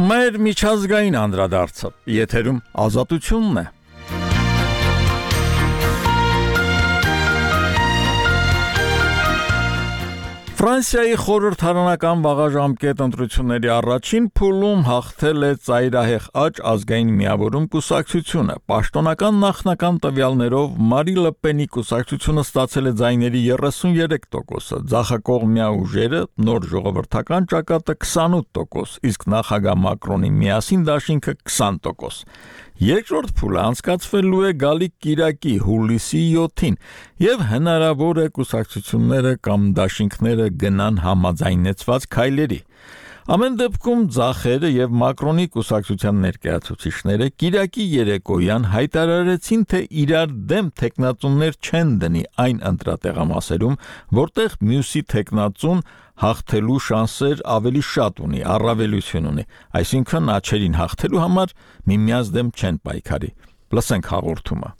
Մեր միջազգային անդրադարձը եթերում ազատությունն է։ Ֆրանսիայի խորհրդարանական վաղաժամկետ ընտրությունների առաջին փուլում հաղթել է ծայրահեղ աճ ազգային միավորում կուսակցությունը։ Պաշտոնական նախնական տվյալներով Մարի Լը Պենի կուսակցությունը ստացել է ձայների երեսունյերեք տոկոսը, ձախակողմյա ուժերը նոր ժողովրդական ճակատը քսանութ տոկոս, իսկ նախագահ Մակրոնի միասին դաշինքը քսան տոկոս։ Երկրորդ փուլը անցկացվելու է գալիք կիրակի հուլիսի յոթին եւ հնարավոր է կուսակցությունները կամ դաշինքները գնան համաձայնեցված քայլերի։ Ամեն դեպքում ձախերը եւ Մակրոնի կուսակցության ներկայացուցիչները կիրակի երեկոյան հայտարարեցին, թե իրար դեմ թեկնածուներ չեն դնի այն ընտրատեղամասերում, որտեղ մյուսի թեկնածուն հաղթելու շանսեր ավելի շատ ունի, առավելություն ունի, այսինքն աչերին հաղթելու համար միմյանց դեմ չեն պայքարի։ Լսենք հաղորդումը։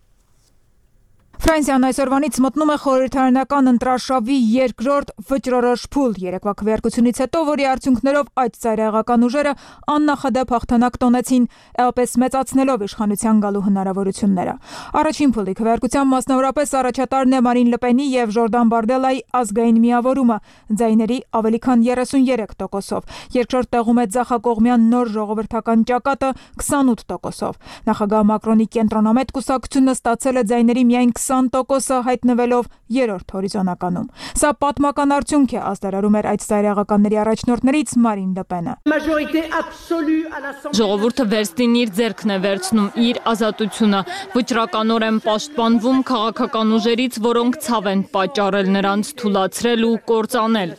Ֆրանսիան այսօրվանից մտնում է խորհրդարանական ընտրարշավի երկրորդ վճռորոշ փուլ երեկվա քվեարկությունից հետո, որի արդյունքներով այդ ծայրահեղական ուժերը աննախադեպ հաղթանակ տոնեցին, էապես մեծացնելով իշխանության գալու հնարավորությունները։ Առաջին փուլի քվեարկության մասնավորապես առաջատարն է Մարին Լը Պենի եւ Ժորդան Բարդելայի ազգային միավորումը ձայների ավելի քան երեսունյերեք տոկոսով։ Երկրորդ տեղում է ձախակողմյան նոր ժողովրդական ճակատը քսանութ տոկոսով։ Նախագահ Մակրոնի կենտրոնամետ կուսակցությունը ստացել է ձայների միայն քսան տոկոսը, հայտնվելով երրորդ հորիզոնականում։ Սա պատմական արդյունք է, աստարարում էր այդ ծայրահեղականների առաջնորդներից Մարին Լը Պենը։ Ժողովուրդը վերստին իր ձեռքն է վերցնում իր ազատությունը, վճռականորեն պաշտպանվում քաղաքական ուժերից, որոնք ցավ են պատճառել նրանց թուլացրել ու կործանել։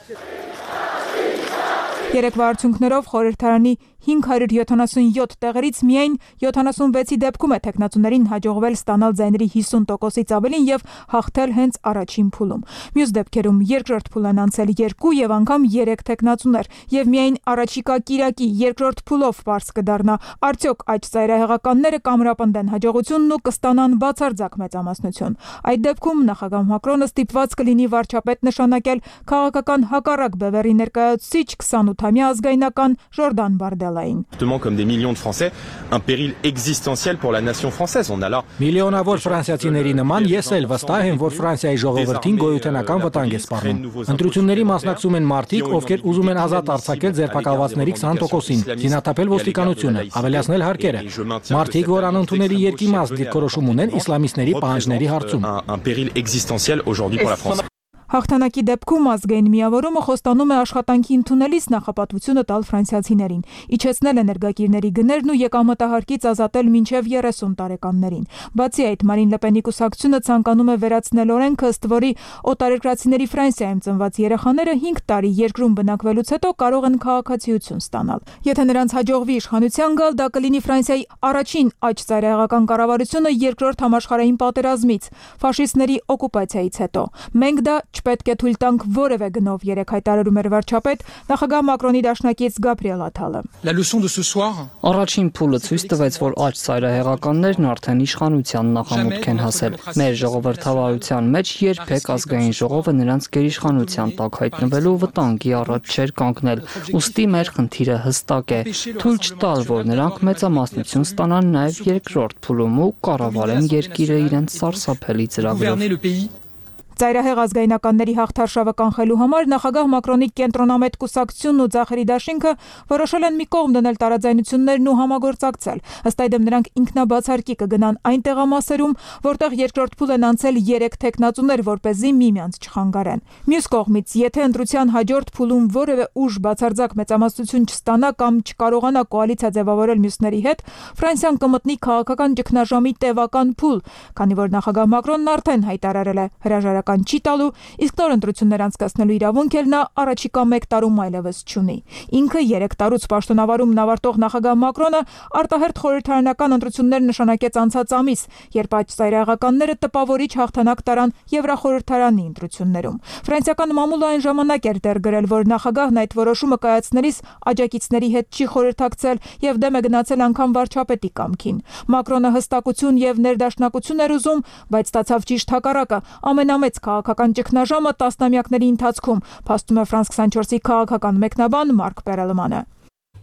Երեկվա արդյունքներով խորհրդարանի հինգ հարյուր յոթանասունյոթ տեղերից միայն յոթանասունվեցի դեպքում է թեկնածուներին հաջողվել ստանալ ձայների հիսուն տոկոսից ավելին եւ հաղթել հենց առաջին փուլում։ Մյուս դեպքերում երկրորդ փուլ են անցել երկու եւ անգամ երեք թեկնածուներ եւ միայն առաջիկա կիրակի երկրորդ փուլով պարզ կդառնա արդյոք այդ ծայրահեղականները կամրապնդեն հաջողությունն ու կստանան բացարձակ մեծամասնություն։ Այդ դեպքում նախագահ Մակրոնը ստիպված կլինի վարչապետ նշանակել քաղաքական հակառակ բևեռի ներկայացուցիչ քսանութամյա ազգայնական Ժորդան Բարդելային։ Comme des millions de Français, un péril existentiel pour la nation française. On a là Միլիոնավոր ֆրանսիացիների նման ես էլ վստահ եմ, որ Ֆրանսիայի ժողովրդին գոյութենական վտանգ է սպառնում։ Ընտրությունների մասնակցում են մարդիկ, ովքեր ուզում են ազատ արձակել ձերբակալվածների քսան տոկոսին, զինաթափել ոստիկանությունը, ավելացնել հարկերը։ Մարդիկ, որ անընդունելի երկիմաստ դիրքորոշում ունեն իսլամիստների պահանջների հարցում։ Un péril existentiel aujourd'hui pour la France. Հաղթանակի դեպքում ազգային միավորումը խոստանում է աշխատանքի ընդունելիս նախապատվությունը տալ ֆրանսիացիներին, իջեցնել էներգակիրների գներն ու եկամտահարկից ազատել մինչև երեսուն տարեկաններին։ Բացի այդ, Մարին Լեպենի կուսակցությունը ցանկանում է վերացնել օրենքը, ըստ որի օտարերկրացիների Ֆրանսիայում ծնված երեխաները հինգ տարի երկրում բնակվելուց հետո կարող են քաղաքացիություն ստանալ։ Եթե նրանց հաջողվի իշխանության գալ, դա կլինի Ֆրանսիայի առաջին աջ ծայրահեղական կառավարությունը երկրորդ համաշխարհային պատերազմից, ֆաշիստների օկուպացիայից հետո։ Մենք դա չպետք է թույլ տանք որևէ գնով, երեք հայտարարում էր վարչապետ նախագահ Մակրոնի դաշնակից Գաբրիել Աթալը։ Առաջին փուլը ցույց տվեց, որ աջ ծայրահեղականներն արդեն իշխանության նախամուտք են հասել։ Մեր ժողովրդավարության մեջ երբեք ազգային ժողովը նրանց գերիշխանության տակ հայտնվելու վտանգի առաջ չէր կանգնել։ Ուստի մեր խնդիրը հստակ է՝ թույլ չտալ, որ նրանք մեծամասնություն ստանան նաև երկրորդ փուլում ու կառավարեն երկիրը իրենց սարսափելի ծրագրով։ Ծայրահեղ ազգայնականների հաղթարշավը կանխելու համար նախագահ Մակրոնի կենտրոնամետ կուսակցությունն ու Ձախերի դաշինքը որոշել են մի կողմ դնել տարաձայնություններն ու համագործակցել։ Ըստ այդմ նրանք ինքնաբացարկի կգնան այն տեղամասերում, որտեղ երկրորդ փուլ են անցել երեք թեկնածուներ, որպեսզի միմյանց չխանգարեն։ Մյուս կողմից, եթե ընտրության հաջորդ փուլում որևէ ուժ բացարձակ մեծամասնություն չստանա կամ չկարողանա կոալիցիա ձևավորել մյուսների հետ, Ֆրանսիան կմտնի քաղաքական ճգնաժամի տևական փուլ, քանի որ նախագահ Մակրոնն արդեն հայտարարել է հրաժարական չի տալու, իսկ նոր ընտրություններ անցկացնելու իրավունք էլ նա առաջիկա մեկ տարում այլևս չունի։ Ինքը երեք տարուց պաշտոնավարումն ավարտող նախագահ Մակրոնը արտահերթ խորհրդարանական ընտրություններ նշանակեց անցած ամիս, երբ աջ ծայրահեղականները տպավորիչ հաղթանակ տարան Եվրախորհրդարանի ընտրություններում։ Ֆրանսիական մամուլը այն ժամանակ էր դեր գրել, որ նախագահն այդ որոշումը կայացնելիս աջակիցների հետ չի խորհրդակցել եւ դեմ է գնացել անգամ վարչապետի կամքին։ Մակրոնը հստակություն եւ ներդաշնակություն էր ուզում, բայց ստացավ ճիշտ հակառակը՝ ամենամեծ քաղաքական ճգնաժամը տասնամյակների ընթացքում, փաստում է Ֆրանս քսանչորսի քաղաքական մեկնաբան Մարկ Պերելմանը։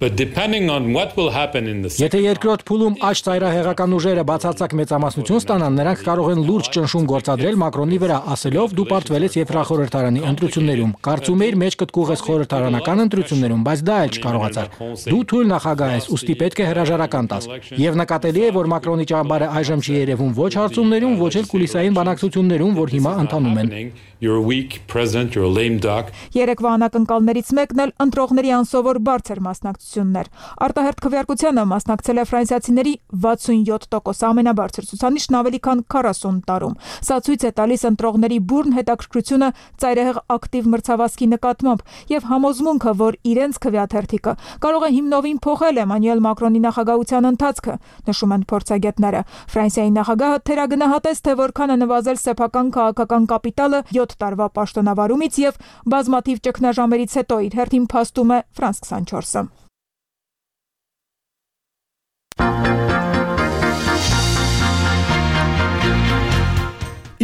Եթե երկրորդ փուլում աջ ծայրահեղական ուժերը բացարձակ մեծամասնություն ստանան, նրանք կարող են լուրջ ճնշում գործադրել Մակրոնի վրա, ասելով՝ դու պարտվել ես Եվրախորհրդարանի ընտրություններում, կարծում էիր մեջ կտկուղես խորհրդարանական ընտրություններում, բայց դա էլ չկարողացար։ Դու թույլ նախագահ ես, ուստի պետք է հրաժարական տաս։ Եվ նկատելի է, որ Մակրոնի ճամբարը այժմ չի երևում ոչ հարցումներում, ոչ էլ կուլիսային բանակցություններում, որ հիմա ընթանում են։ Երեկվա անակնկալներից մեկն էլ ընտրողների անսովոր բարձր մասնակցություններ։ Արտահերթ քվեարկությանը մասնակցել է ֆրանսիացիների վաթսունյոթ տոկոս, ամենաբարձր ցուցանիշն ավելի քան քառասուն տարում։ Սա ցույց է տալիս ընտրողների բուրն հետաքրքրությունը ծայրահեղ ակտիվ մրցավազքի նկատմամբ եւ համոզմունքը, որ իրենց քվեաթերթիկը կարող է հիմնովին փոխել Էմանուել Մակրոնի նախագահության ընթացքը, նշում են փորձագետները։ Ֆրանսիայի նախագահը թերագնահատեց, թե որքան է նվազել սեփական քաղաքական կապիտալը յոթ տարվա պաշտոնավարումից եւ բազմաթիվ ճգնաժամերից հետո իր հերթին փաստում է Ֆրանս քսանչորսը։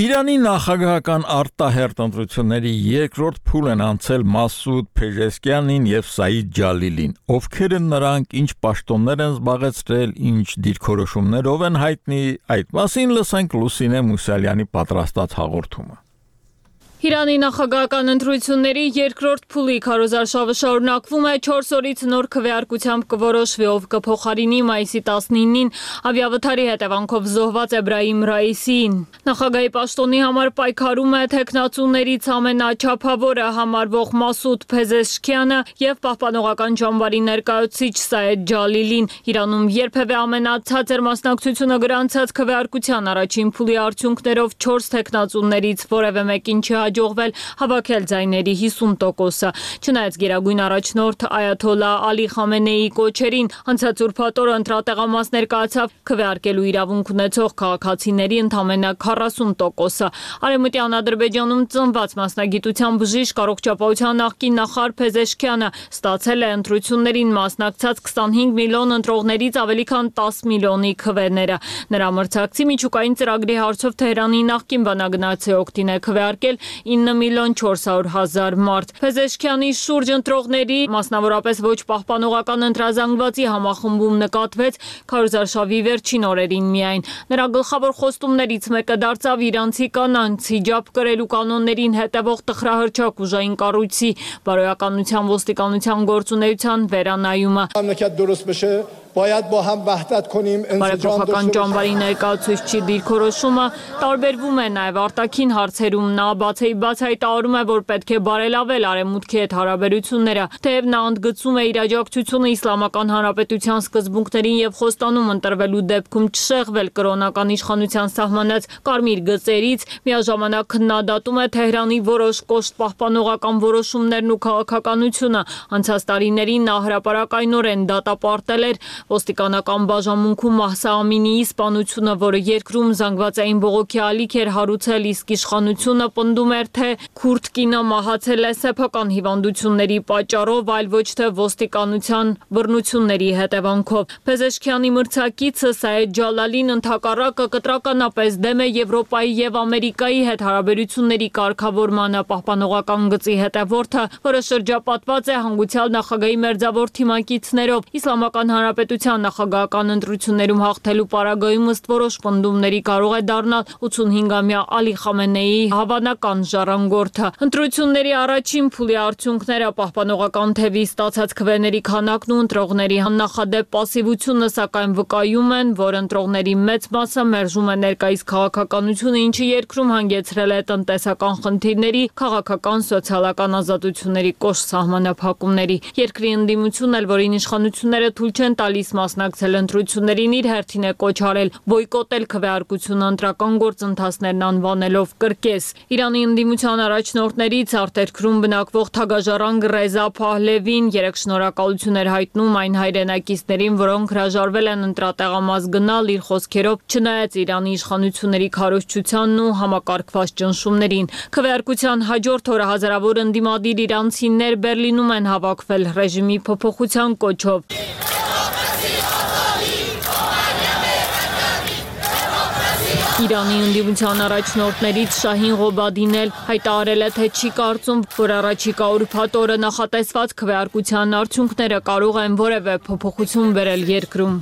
Իրանի նախագահական արտահերթ ընտրությունների երկրորդ փուլ են անցել Մասուդ Փեժեսկյանին եւ Սաիդ Ջալիլին, ովքեր են նրանք, ինչ պաշտոններ են զբաղեցրել, ինչ դիրքորոշումներով են հայտնի, այդ մասին լսենք Լուսինե Մուսալյանի պատրաստած հաղորդումը։ Իրանի նախագահական ընտրությունների երկրորդ փուլի քարոզարշավը շարունակվում է, չորս օրից նոր քվեարկությամբ կորոշվի, ով կփոխարինի մայիսի տասնինին ավիավթարի հետևանքով զոհված Էբրահիմ Ռայիսիին։ Նախագահի պաշտոնի համար պայքարում է թեկնածուներից ամենաչափավորը համարվող Մասուդ Փեզեշքյանը եւ պահպանողական ճամբարի ներկայացուցիչ Սաիդ Ջալիլին։ Իրանում երբևէ ամենացածր մասնակցությունը գրանցած քվեարկության առաջին փուլի արդյունքներով չորս թեկնածուներից որևէ մեկին չի հաջողվել հավաքել ձայների հիսուն տոկոսը։ Չնայած գերագույն առաջնորդ Այաթոլլա Ալի Խամենեիի կոչերին, անցած ուրբաթ օրը ընտրատեղամաս ներկայացավ քվեարկելու իրավունք ունեցող քաղաքացիների ընդամենը քառասուն տոկոսը։ Արևմտյան Ադրբեջանում ծնված մասնագիտության բժիշկ առողջապահության նախկին նախարար Փեզեշքյանը ստացել է ընտրություններին մասնակցած քսանհինգ միլիոն ընտրողներից ավելի քան տասը միլիոնի քվեները։ Նրա մրցակցի միջուկային ծրագրի հարցով Թեհրանի նախկին բանագնացի օգտին է քվեարկել ինը միլիոն չորս հարյուր հազար մարդ։ Փեզեշքյանի շուրջ ընտրողների, մասնավորապես ոչ պահպանողական ընտրազանգվածի համախմբում նկատվեց քարոզարշավի վերջին օրերին միայն։ Նրա գլխավոր խոստումներից մեկը դարձավ իրանցի կանանց հիջաբ կրելու կանոններին հետևող տխրահրճակ ուժային կառույցի բարոյականության ոստիկանության գործունեության վերանայումը։ باید با هم وحدت کنیم انسجام داشته ճամբարի ներկայացուցիչի դիրքորոշումը տարբերվում է նաև արտաքին հարցերում նա բացի բաց հայտարարում է որ պետք է բարելավել արևմուտքի հետ հարաբերությունները թեև նա ընդգծում է իր աջակցությունը իսլամական հանրապետության սկզբունքներին եւ խոստանում ընտրվելու դեպքում չշեղվել կրոնական իշխանության սահմանած կարմիր գծերից միաժամանակ քննադատում է Թեհրանի որոշ կոշտ պահպանողական որոշումներն ու քաղաքականությունը անցած տարիներին նա հրապարակայնորեն դատապարտել էր ոստիկանական բաժանմունքում Մահսա Ամինիի սպանությունը, որը երկրում զանգվածային բողոքի ալիք էր հարուցել, իսկ իշխանությունը պնդում էր, թե քուրդ կինը մահացել է սեփական հիվանդությունների պատճառով, այլ ոչ թե ոստիկանության բռնությունների հետևանքով։ Փեզեշքյանի մրցակիցը Սայեդ Ջալալին ընդհակառակը կտրականապես դեմ է Եվրոպայի եւ Ամերիկայի հետ հարաբերությունների կարգավորմանը պահպանողական գծի հետևորդը, որը շրջապատված է հանգուցյալ նախագահի մերձավոր թիմակիցներով։ Իսլամական Հանրապետության նախագահական ընտրություններում հաղթելու պարագայում ըստ որոշ պնդումների կարող է դառնալ ութսունհինգամյա Ալի Խամենեիի հավանական ժառանգորդը։ Ընտրությունների առաջին փուլի արդյունքները պահպանողական թևի ստացած քվեների քանակն ու ընտրողների աննախադեպ պասիվությունը սակայն վկայում են, որ ընտրողների մեծ մասը մերժում է ներկայիս քաղաքականությունը, ինչը երկրում հանգեցրել է տնտեսական խնդիրների, քաղաքական, սոցիալական ազատությունների կոշտ սահմանափակումների։ Երկրի ընդդիմությունն էլ, որին իշխանությունները թույլ չեն տալիս մասնակցել ընտրություններին, իր հերթին է կոչ արել բոյկոտել քվեարկությունը ընտրական գործընթացներն անվանելով կրկես։ Իրանի ընդդիմության առաջնորդներից արտերկրում բնակվող թագաժառանգ Ռեզա Փահլևին երեք շնորհակալություն էր հայտնում այն հայրենակիցներին, որոնք հրաժարվել են ընտրատեղամաս գնալ, իր խոսքերով չնայած Իրանի իշխանությունների քարոզչությանն ու համակարգված ճնշումներին։ Քվեարկության հաջորդ օրը հազարավոր ընդդիմադիր իրանցիներ Բերլինում են հավաքվել ռեժիմի փոփոխության կոչով։ Իրանի ընդդիմության առաջնորդներից Շահին Ղոբադին էլ հայտարարել է, թե չի կարծում, որ առաջիկա ուրբաթ օրը նախատեսված քվեարկության արդյունքները կարող են որևէ փոփոխություն բերել երկրում։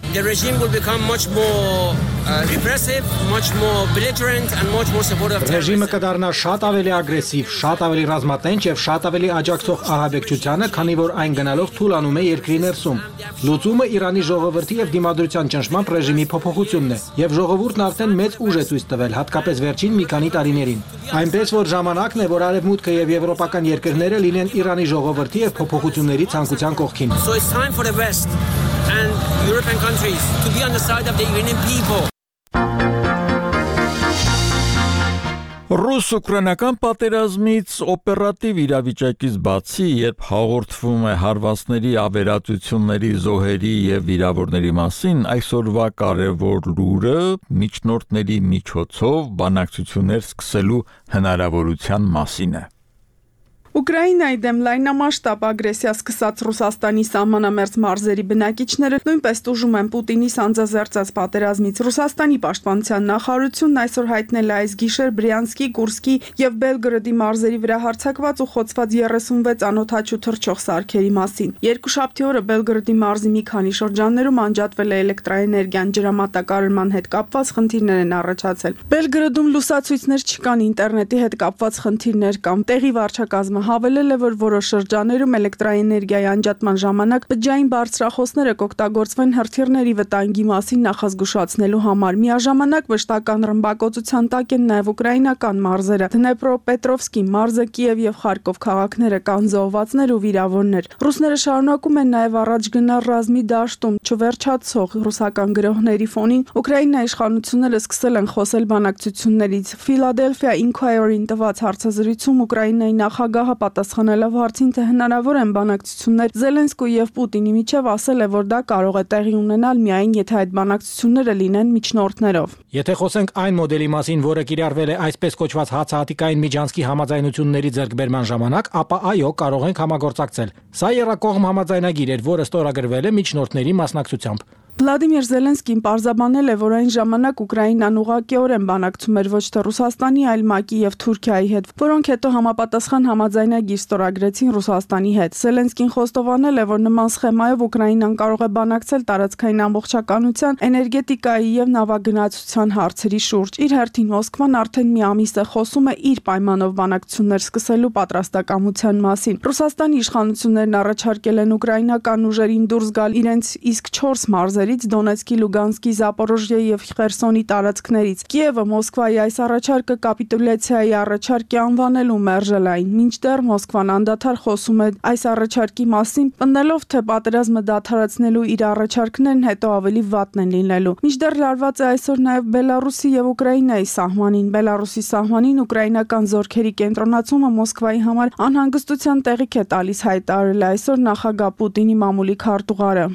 Ռեժիմը կդառնա շատ ավելի ագրեսիվ, շատ ավելի ռազմատենչ եւ շատ ավելի աջակցող ահաբեկչությանը, քանի որ այն գնալով թուլանում է երկրի ներսում։ Լուծումը Իրանի ժողովրդի եւ դիմադրության ճնշմամբ ռեժիմի փոփոխությունն է, եւ ժողովուրդն արդեն մեծ ուժ է ցույց տվել, հատկապես վերջին մի քանի տարիներին։ Այնպես որ ժամանակն է, որ Արևմուտքը եւ եվրոպական երկրները լինեն Իրանի ժողովրդի եւ փոփոխությունների ցանկության կողքին։ So it's time for the West and European countries to be on the side of the Iranian people. Ռուս-ուկրաինական պատերազմից օպերատիվ իրավիճակից բացի, երբ հաղորդվում է հարվածների, ավերածությունների, զոհերի եւ վիրավորների մասին, այսօրվա կարևոր լուրը միջնորդների միջոցով բանակցություններ սկսելու հնարավորության մասին է։ Ուկրաինայի դեմ լայնամասշտաբ ագրեսիա սկսած Ռուսաստանի սահմանամերձ մարզերի բնակիչները նույնպես տուժում են Պուտինի սանձազերծած պատերազմից։ Ռուսաստանի պաշտպանության նախարարությունն այսօր հայտնել է այս գիշեր Բրյանսկի, Կուրսկի եւ Բելգրադի մարզերի վրա հարձակված ու խոցված երեսունվեց անօդաչու թռչող սարքերի մասին։ Երկուշաբթի օրը Բելգրադի մարզի մի քանի շրջաններում անջատվել է էլեկտրաէներգիան, ջրամատակարարման հետ կապված խնդիրներ են առաջացել։ Բելգրադում լուսացույցներ չկան, ինտերնետի հետ կապված խնդիրներ կան։ Տեղի վարչակազմը հավելել է, որ որոշ շրջաներում էլեկտրաէներգիայի անջատման ժամանակ բջջային բարձրախոսները կօգտագործվեն հրթիռների վտանգի մասին նախազգուշացնելու համար։ Միաժամանակ վշտական ռմբակոծության տակ են նաև ուկրաինական մարզերը։ Դնեպրոպետրովսկի մարզը, Կիև եւ Խարկով քաղաքները կան զոհվածներ ու վիրավորներ։ Ռուսները շարունակում են նաև առաջ գնալ ռազմի դաշտում, չվերջացող ռուսական գրոհների ֆոնին Ուկրաինայի իշխանությունները սկսել են խոսել բանակցություններից։ Philadelphia Inquirer-ին տված հարցազրույցում Ուկրաինայի նախագահը պատասխանելով հարցին, թե հնարավոր են բանակցություններ Զելենսկուի եւ Պուտինի միջև, ասել է, որ դա կարող է տեղի ունենալ միայն եթե այդ բանակցությունները լինեն միջնորդներով։ Եթե խոսենք այն մոդելի մասին, որը կիրառվել է այսպես կոչված հացահատիկային միջանցքի համաձայնությունների ձեռքբերման ժամանակ, ապա այո, կարող ենք համագործակցել։ Սա եռակողմ համաձայնագիր էր, որը ստորագրվել է միջնորդների մասնակցությամբ։ Վլադիմիր Զելենսկին պարզաբանել է, որ այն ժամանակ Ուկրաինան ուղղակիորեն բանակցում էր ոչ թե Ռուսաստանի, այլ ՄԱԿ-ի եւ Թուրքիայի հետ, որոնք հետո համապատասխան համաձայնագիր ստորագրեցին Ռուսաստանի հետ։ Զելենսկին խոստովանել է, որ նման սխեմայով Ուկրաինան կարող է բանակցել տարածքային ամբողջականության, էներգետիկայի եւ նավագնացության հարցերի շուրջ։ Իր հերթին Մոսկվան արդեն մի ամիս է խոսում է իր պայմանով բանակցություններ սկսելու պատրաստակամության մասին։ Ռուսաստանի իշխանություններն առաջարկել են ուկրաինական ուժերին դուրս գալ իրենց իսկ չորս մարզեր Դոնեցկի, Լուգանսկի, Զապորոժիեի եւ Խերսոնի տարածքներից։ Կիևը Մոսկվայի այս առաջարկը կապիտուլյացիայի առաջարկ է անվանելու մերժել այն։ Մինչդեռ Մոսկվան անդադար խոսում է այս առաջարկի մասին, պնդելով, թե պատերազմը դադարեցնելու իր առաջարկներն հետո ավելի վատն են լինելու։ Մինչդեռ լարված է այսօր նաեւ Բելարուսի եւ Ուկրաինայի սահմանին։ Բելարուսի սահմանին ուկրաինական զորքերի կենտրոնացումը Մոսկվայի համար անհանգստության տեղիք է տալիս, հայտարարել է այսօր նախագահ Պուտինի մամուլի քարտուղարը։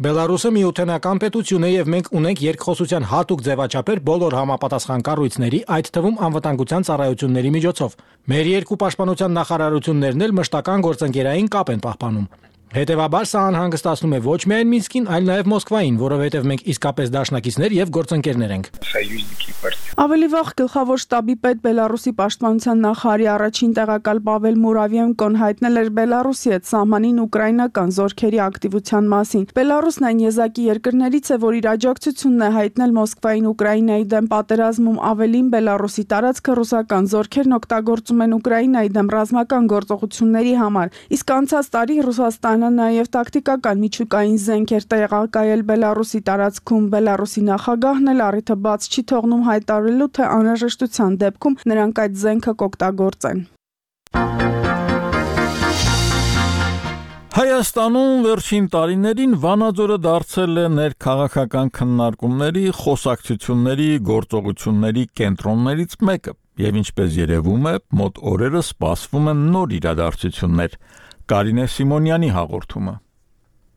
Բելարուսը միութենական պետություն է եւ մենք ունենք երկխոսության հատուկ ձևաչափեր բոլոր համապատասխան կառույցների, այդ թվում անվտանգության ծառայությունների միջոցով։ Մեր երկու պաշտպանության նախարարություններն էլ մշտական գործընկերային կապ են պահպանում։ Հետևաբար սա անհանգստացնում է ոչ միայն Մինսկին, այլ նաև Մոսկվային, որովհետև մենք իսկապես դաշնակիցներ եւ գործընկերներ ենք։ Ավելի վաղ գլխավոր շտաբի պետ Բելարուսի պաշտպանության նախարարի առաջին տեղակալ Պավել Մուրավյենկոն հայտնել էր Բելարուսի հետ սահմանին ուկրաինական զորքերի ակտիվության մասին։ Բելարուսն այն եզակի երկրներից է, որ իր աջակցությունն է հայտնել Մոսկվային Ուկրաինայի դեմ պատերազմում, ավելին Բելարուսի տարածքը ռուսական զորքերն օգտագործում են Ուկրաինայի դեմ ռազմական գործողությունների համար։ Իսկ անցած տարի Ռուսաստանը նաև տակտիկական միջուկային զենք էր տեղակայել Բելարուսի տարածքում։ Բելարուսի նախագահն էլ առիթը բաց չի թողնում հայտարարելու, թե անհրաժեշտության դեպքում նրանք այդ զենքը կօգտագործեն։ Հայաստանում վերջին տարիներին Վանաձորը դարձել է ներքաղաքական քննարկումների, խոսակցությունների, գործողությունների կենտրոններից մեկը, եւ ինչպես երևում է, մոտ օրերը սպասվում են նոր իրադարձություններ։ Կարինե Սիմոնյանի հաղորդումը։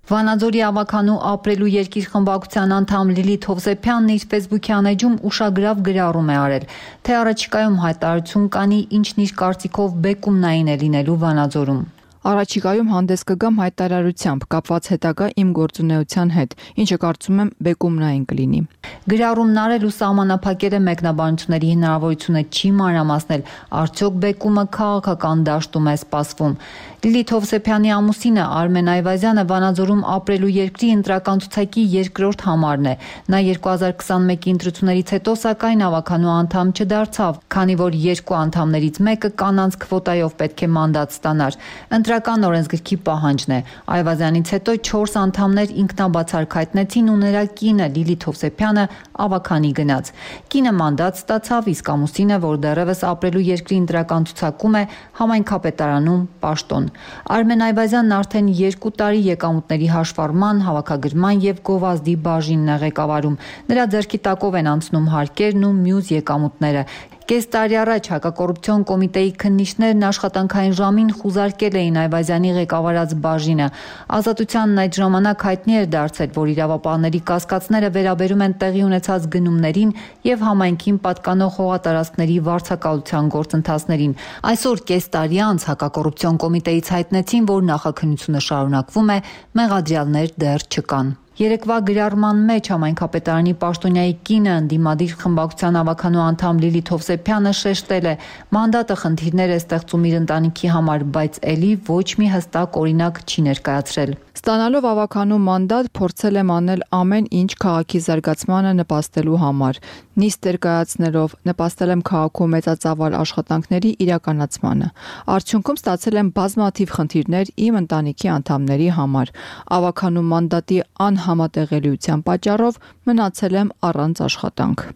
Վանաձորի ավականու ապրելու երկիր խմբակցության անդամ Լիլիթ Հովսեփյանն իր Facebook-յան էջում ուշագրավ գրառում է արել, թե առաջիկայում հայտարարություն կանի, ինչն իր կարծիքով բեկումնային է լինելու Վանաձորում։ Առաջիկայում հանդես կգամ հայտարարությամբ կապված հետագա իմ գործունեության հետ, ինչը կարծում եմ բեկումնային կլինի։ Գրառումն արել ու սահմանափակել է մեկնաբանությունների հնարավորությունը չի մանրամասնել, արդյոք բեկումը քաղաքական դաշտում է սպասվում։ Լիլիթ Հովսեփյանի ամուսինը Արմեն Այվազյանը Վանաձորում ապրելու երկրի ընտրական ցուցակի երկրորդ համարն է։ Նա երկու հազար քսանմեկի ընտրություններից հետո սակայն ավականու անդամ չդարձավ, քանի որ երկու անդամներից մեկը կանանց քվոտայով պետք է մանդատ ստանար։ Ընտրական օրենսգրքի պահանջն է։ Այվազյանից հետո չորս անդամներ ինքնաբացարկ հայտնեցին ու նրա կինը Լիլիթ Հովսեփյանը ավականի գնաց։ Կինը մանդատ ստացավ, իսկ ամուսինը, որ դեռևս ապրելու երկրի ընտրական ցուցակում է, համայնքապետարանում պաշտոն։ Արմեն Այվազյանն արդեն երկու տարի եկամուտների հաշվառման, հավաքագրման եւ գովազդի բաժինն է ղեկավարում։ Նրա ձեռքի տակով են անցնում հարկերն ու մյուս եկամուտները։ Կես տարի առաջ հակակոռուպցիոն կոմիտեի քննիչներն աշխատանքային ժամին խուզարկել էին Այվազյանի ղեկավարած բաժինը։ Ազատությանն այդ ժամանակ հայտնի էր դարձել, որ իրավապահների կասկածները վերաբերում են տեղի ունեցած գնումներին եւ համայնքին պատկանող հողատարածքների վարձակալության գործընթացներին։ Այսօր կես տարի անց հակակոռուպցիոն կոմիտեից հայտնեցին, որ նախաքննությունը շարունակվում է, մեղադրյալներ դեռ չկան։ Երեկվա գրառման մեջ համայնքապետարանի պաշտոնյայի կինը ընդդիմադիր խմբակցության ավականու անդամ Լիլիթ Հովսեփյանը շեշտել է. մանդատը խնդիրներ է ստեղծում իր ընտանիքի համար, բայց ելի ոչ մի հստակ օրինակ չի ներկայացրել։ Ստանալով ավականու մանդատ փորձել եմ անել ամեն ինչ քաղաքի զարգացմանը նպաստելու համար։ Նիստեր կայացնելով նպաստել եմ քաղաքում մեծածավալ աշխատանքների իրականացմանը։ Արդյունքում ստացել եմ բազմաթիվ խնդիրներ իմ ընտանիքի անդամների համար։ Ավականու մանդատի անհամատեղելիության պատճառով մնացել եմ առանց աշխատանք։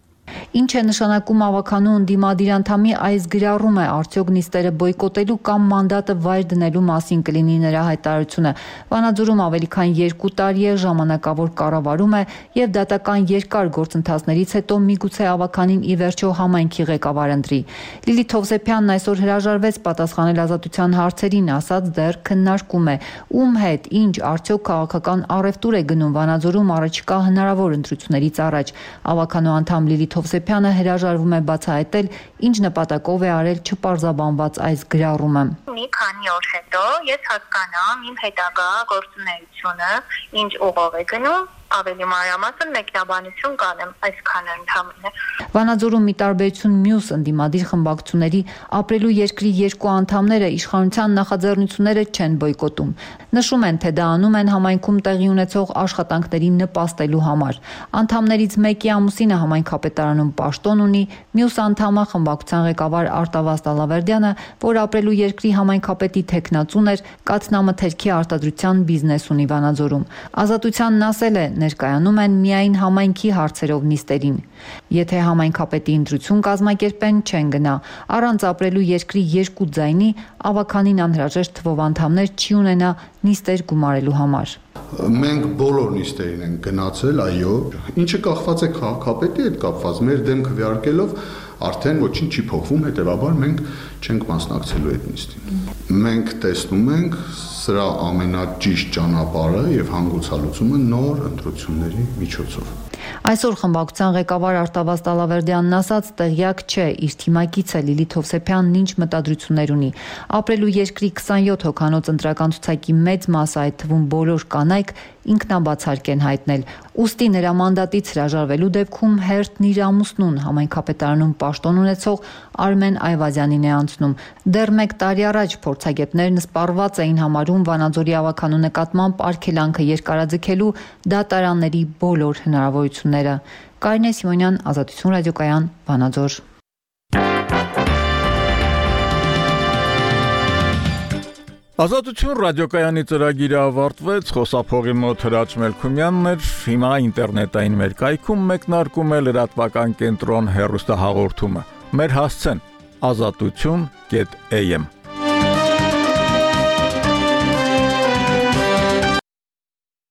Ինչ է նշանակում ավականու ընդդիմադիր անդամի այս գրառումը, արդյոք նիստերը բոյկոտելու կամ մանդատը վայր դնելու մասին կլինի նրա հայտարարությունը։ Վանաձորում ավելի քան երկու տարի է ժամանակավոր կառավարում է եւ դատական երկար գործընթացներից հետո միգուցե ավականին ի վերջո համայնքի ղեկավար ընտրի։ Լիլիթ Հովսեփյանն այսօր հրաժարվեց պատասխանել ազատության հարցերին, ասաց դեռ քննարկում է ում հետ, ինչ, արդյոք քաղաքական առևտուր է գնում Վանաձորում առաջիկա հնարավոր ընտրություններից առաջ։ Ավականու անդամ Լիլիթ Թովսեփյանը հրաժարվում է բացահայտել, ինչ նպատակով է արել չպարզաբանված այս գրառումը։ Մի քանի օր հետո ես հասկանամ իմ հետագա գործունեությունը ինչ ուղով է գնում, ավելի մանրամասն մեկնաբանություն կանեմ այսքան ընդհանրապես։ Վանաձորում մի տարբերություն մյուս ընդդիմադիր խմբակցությունների ապրելու երկրի երկու անդամները իշխանության նախաձեռնությունները չեն բոյկոտում։ Նշում են, թե դա անում են համայնքում տեղի ունեցող աշխատանքներին նպաստելու համար։ Անդամներից մեկի ամուսինը համայնքապետարանում պաշտոն ունի, մյուս անդամը խմբակցության ղեկավար Արտավազդ Ալավերդյանը, որ ապրելու երկրի համայնքապետի թեկնածուն էր, կաթնամթերքի արտադրության բիզնես ունի Վանաձորում։ Ազատությանն ասել է, ներկայանում են միայն համայնքի հարցերով նիստերին։ Եթե համայնքապետի ընտրություն կազմակերպեն, չեն գնա։ Առանց ապրելու երկրի երկու ձայնի ավականին անհրաժեշտ թվով անդամներ չի ունենա նիստեր գումարելու համար։ Մենք բոլոր նիստերին ենք գնացել, այո, ինչը կախված է քաղաքապետի հետ կապված, մեր դեմ քվեարկելով արդեն ոչինչ չի փոխվում, հետևաբար մենք չենք մասնակցելու այդ նիստին։ Մենք տեսնում ենք սրա ամենաճիշտ ճանապարհը եւ հանգուցալուծումը նոր ընտրությունների միջոցով։ Այսօր խմբակցության ղեկավար Արտավազդ Ալավերդյանն ասաց, տեղյակ չէ իր թիմակիցը Լիլիթ Հովսեփյանն ինչ մտադրություններ ունի։ Ապրելու երկրի քսանյոթ հոգանոց ընտրական ցուցակի մեծ մասը, այդ թվում բոլոր կանայք, ինքնաբացարկ են հայտնել։ Ուստի նրա մանդատից հրաժարվելու դեպքում հերթն իր ամուսնուն համայնքապետարանում պաշտոն ունեցող Արմեն Այվազյանին է անցնում։ Դեռ մեկ տարի առաջ փորձագետներն սպառված էին համարում Վանաձորի ավականու նկատմամբ արգելանքը երկարաձգելու դատարանների բոլոր հնարավորությունները։ Կարինե Սիմոնյան, Ազատություն ռադիոկայան, Վանաձոր։ Ազատություն ռադիոկայանի ծրագիրը ավարտվեց, խոսափողի մոտ Հրաչ Մելքումյանն էր, հիմա ինտերնետային մեր կայքում մեկնարկում է լրատվական կենտրոն հեռուստահաղորդումը։ Մեր հասցեն ազատություն կետ էյ էմ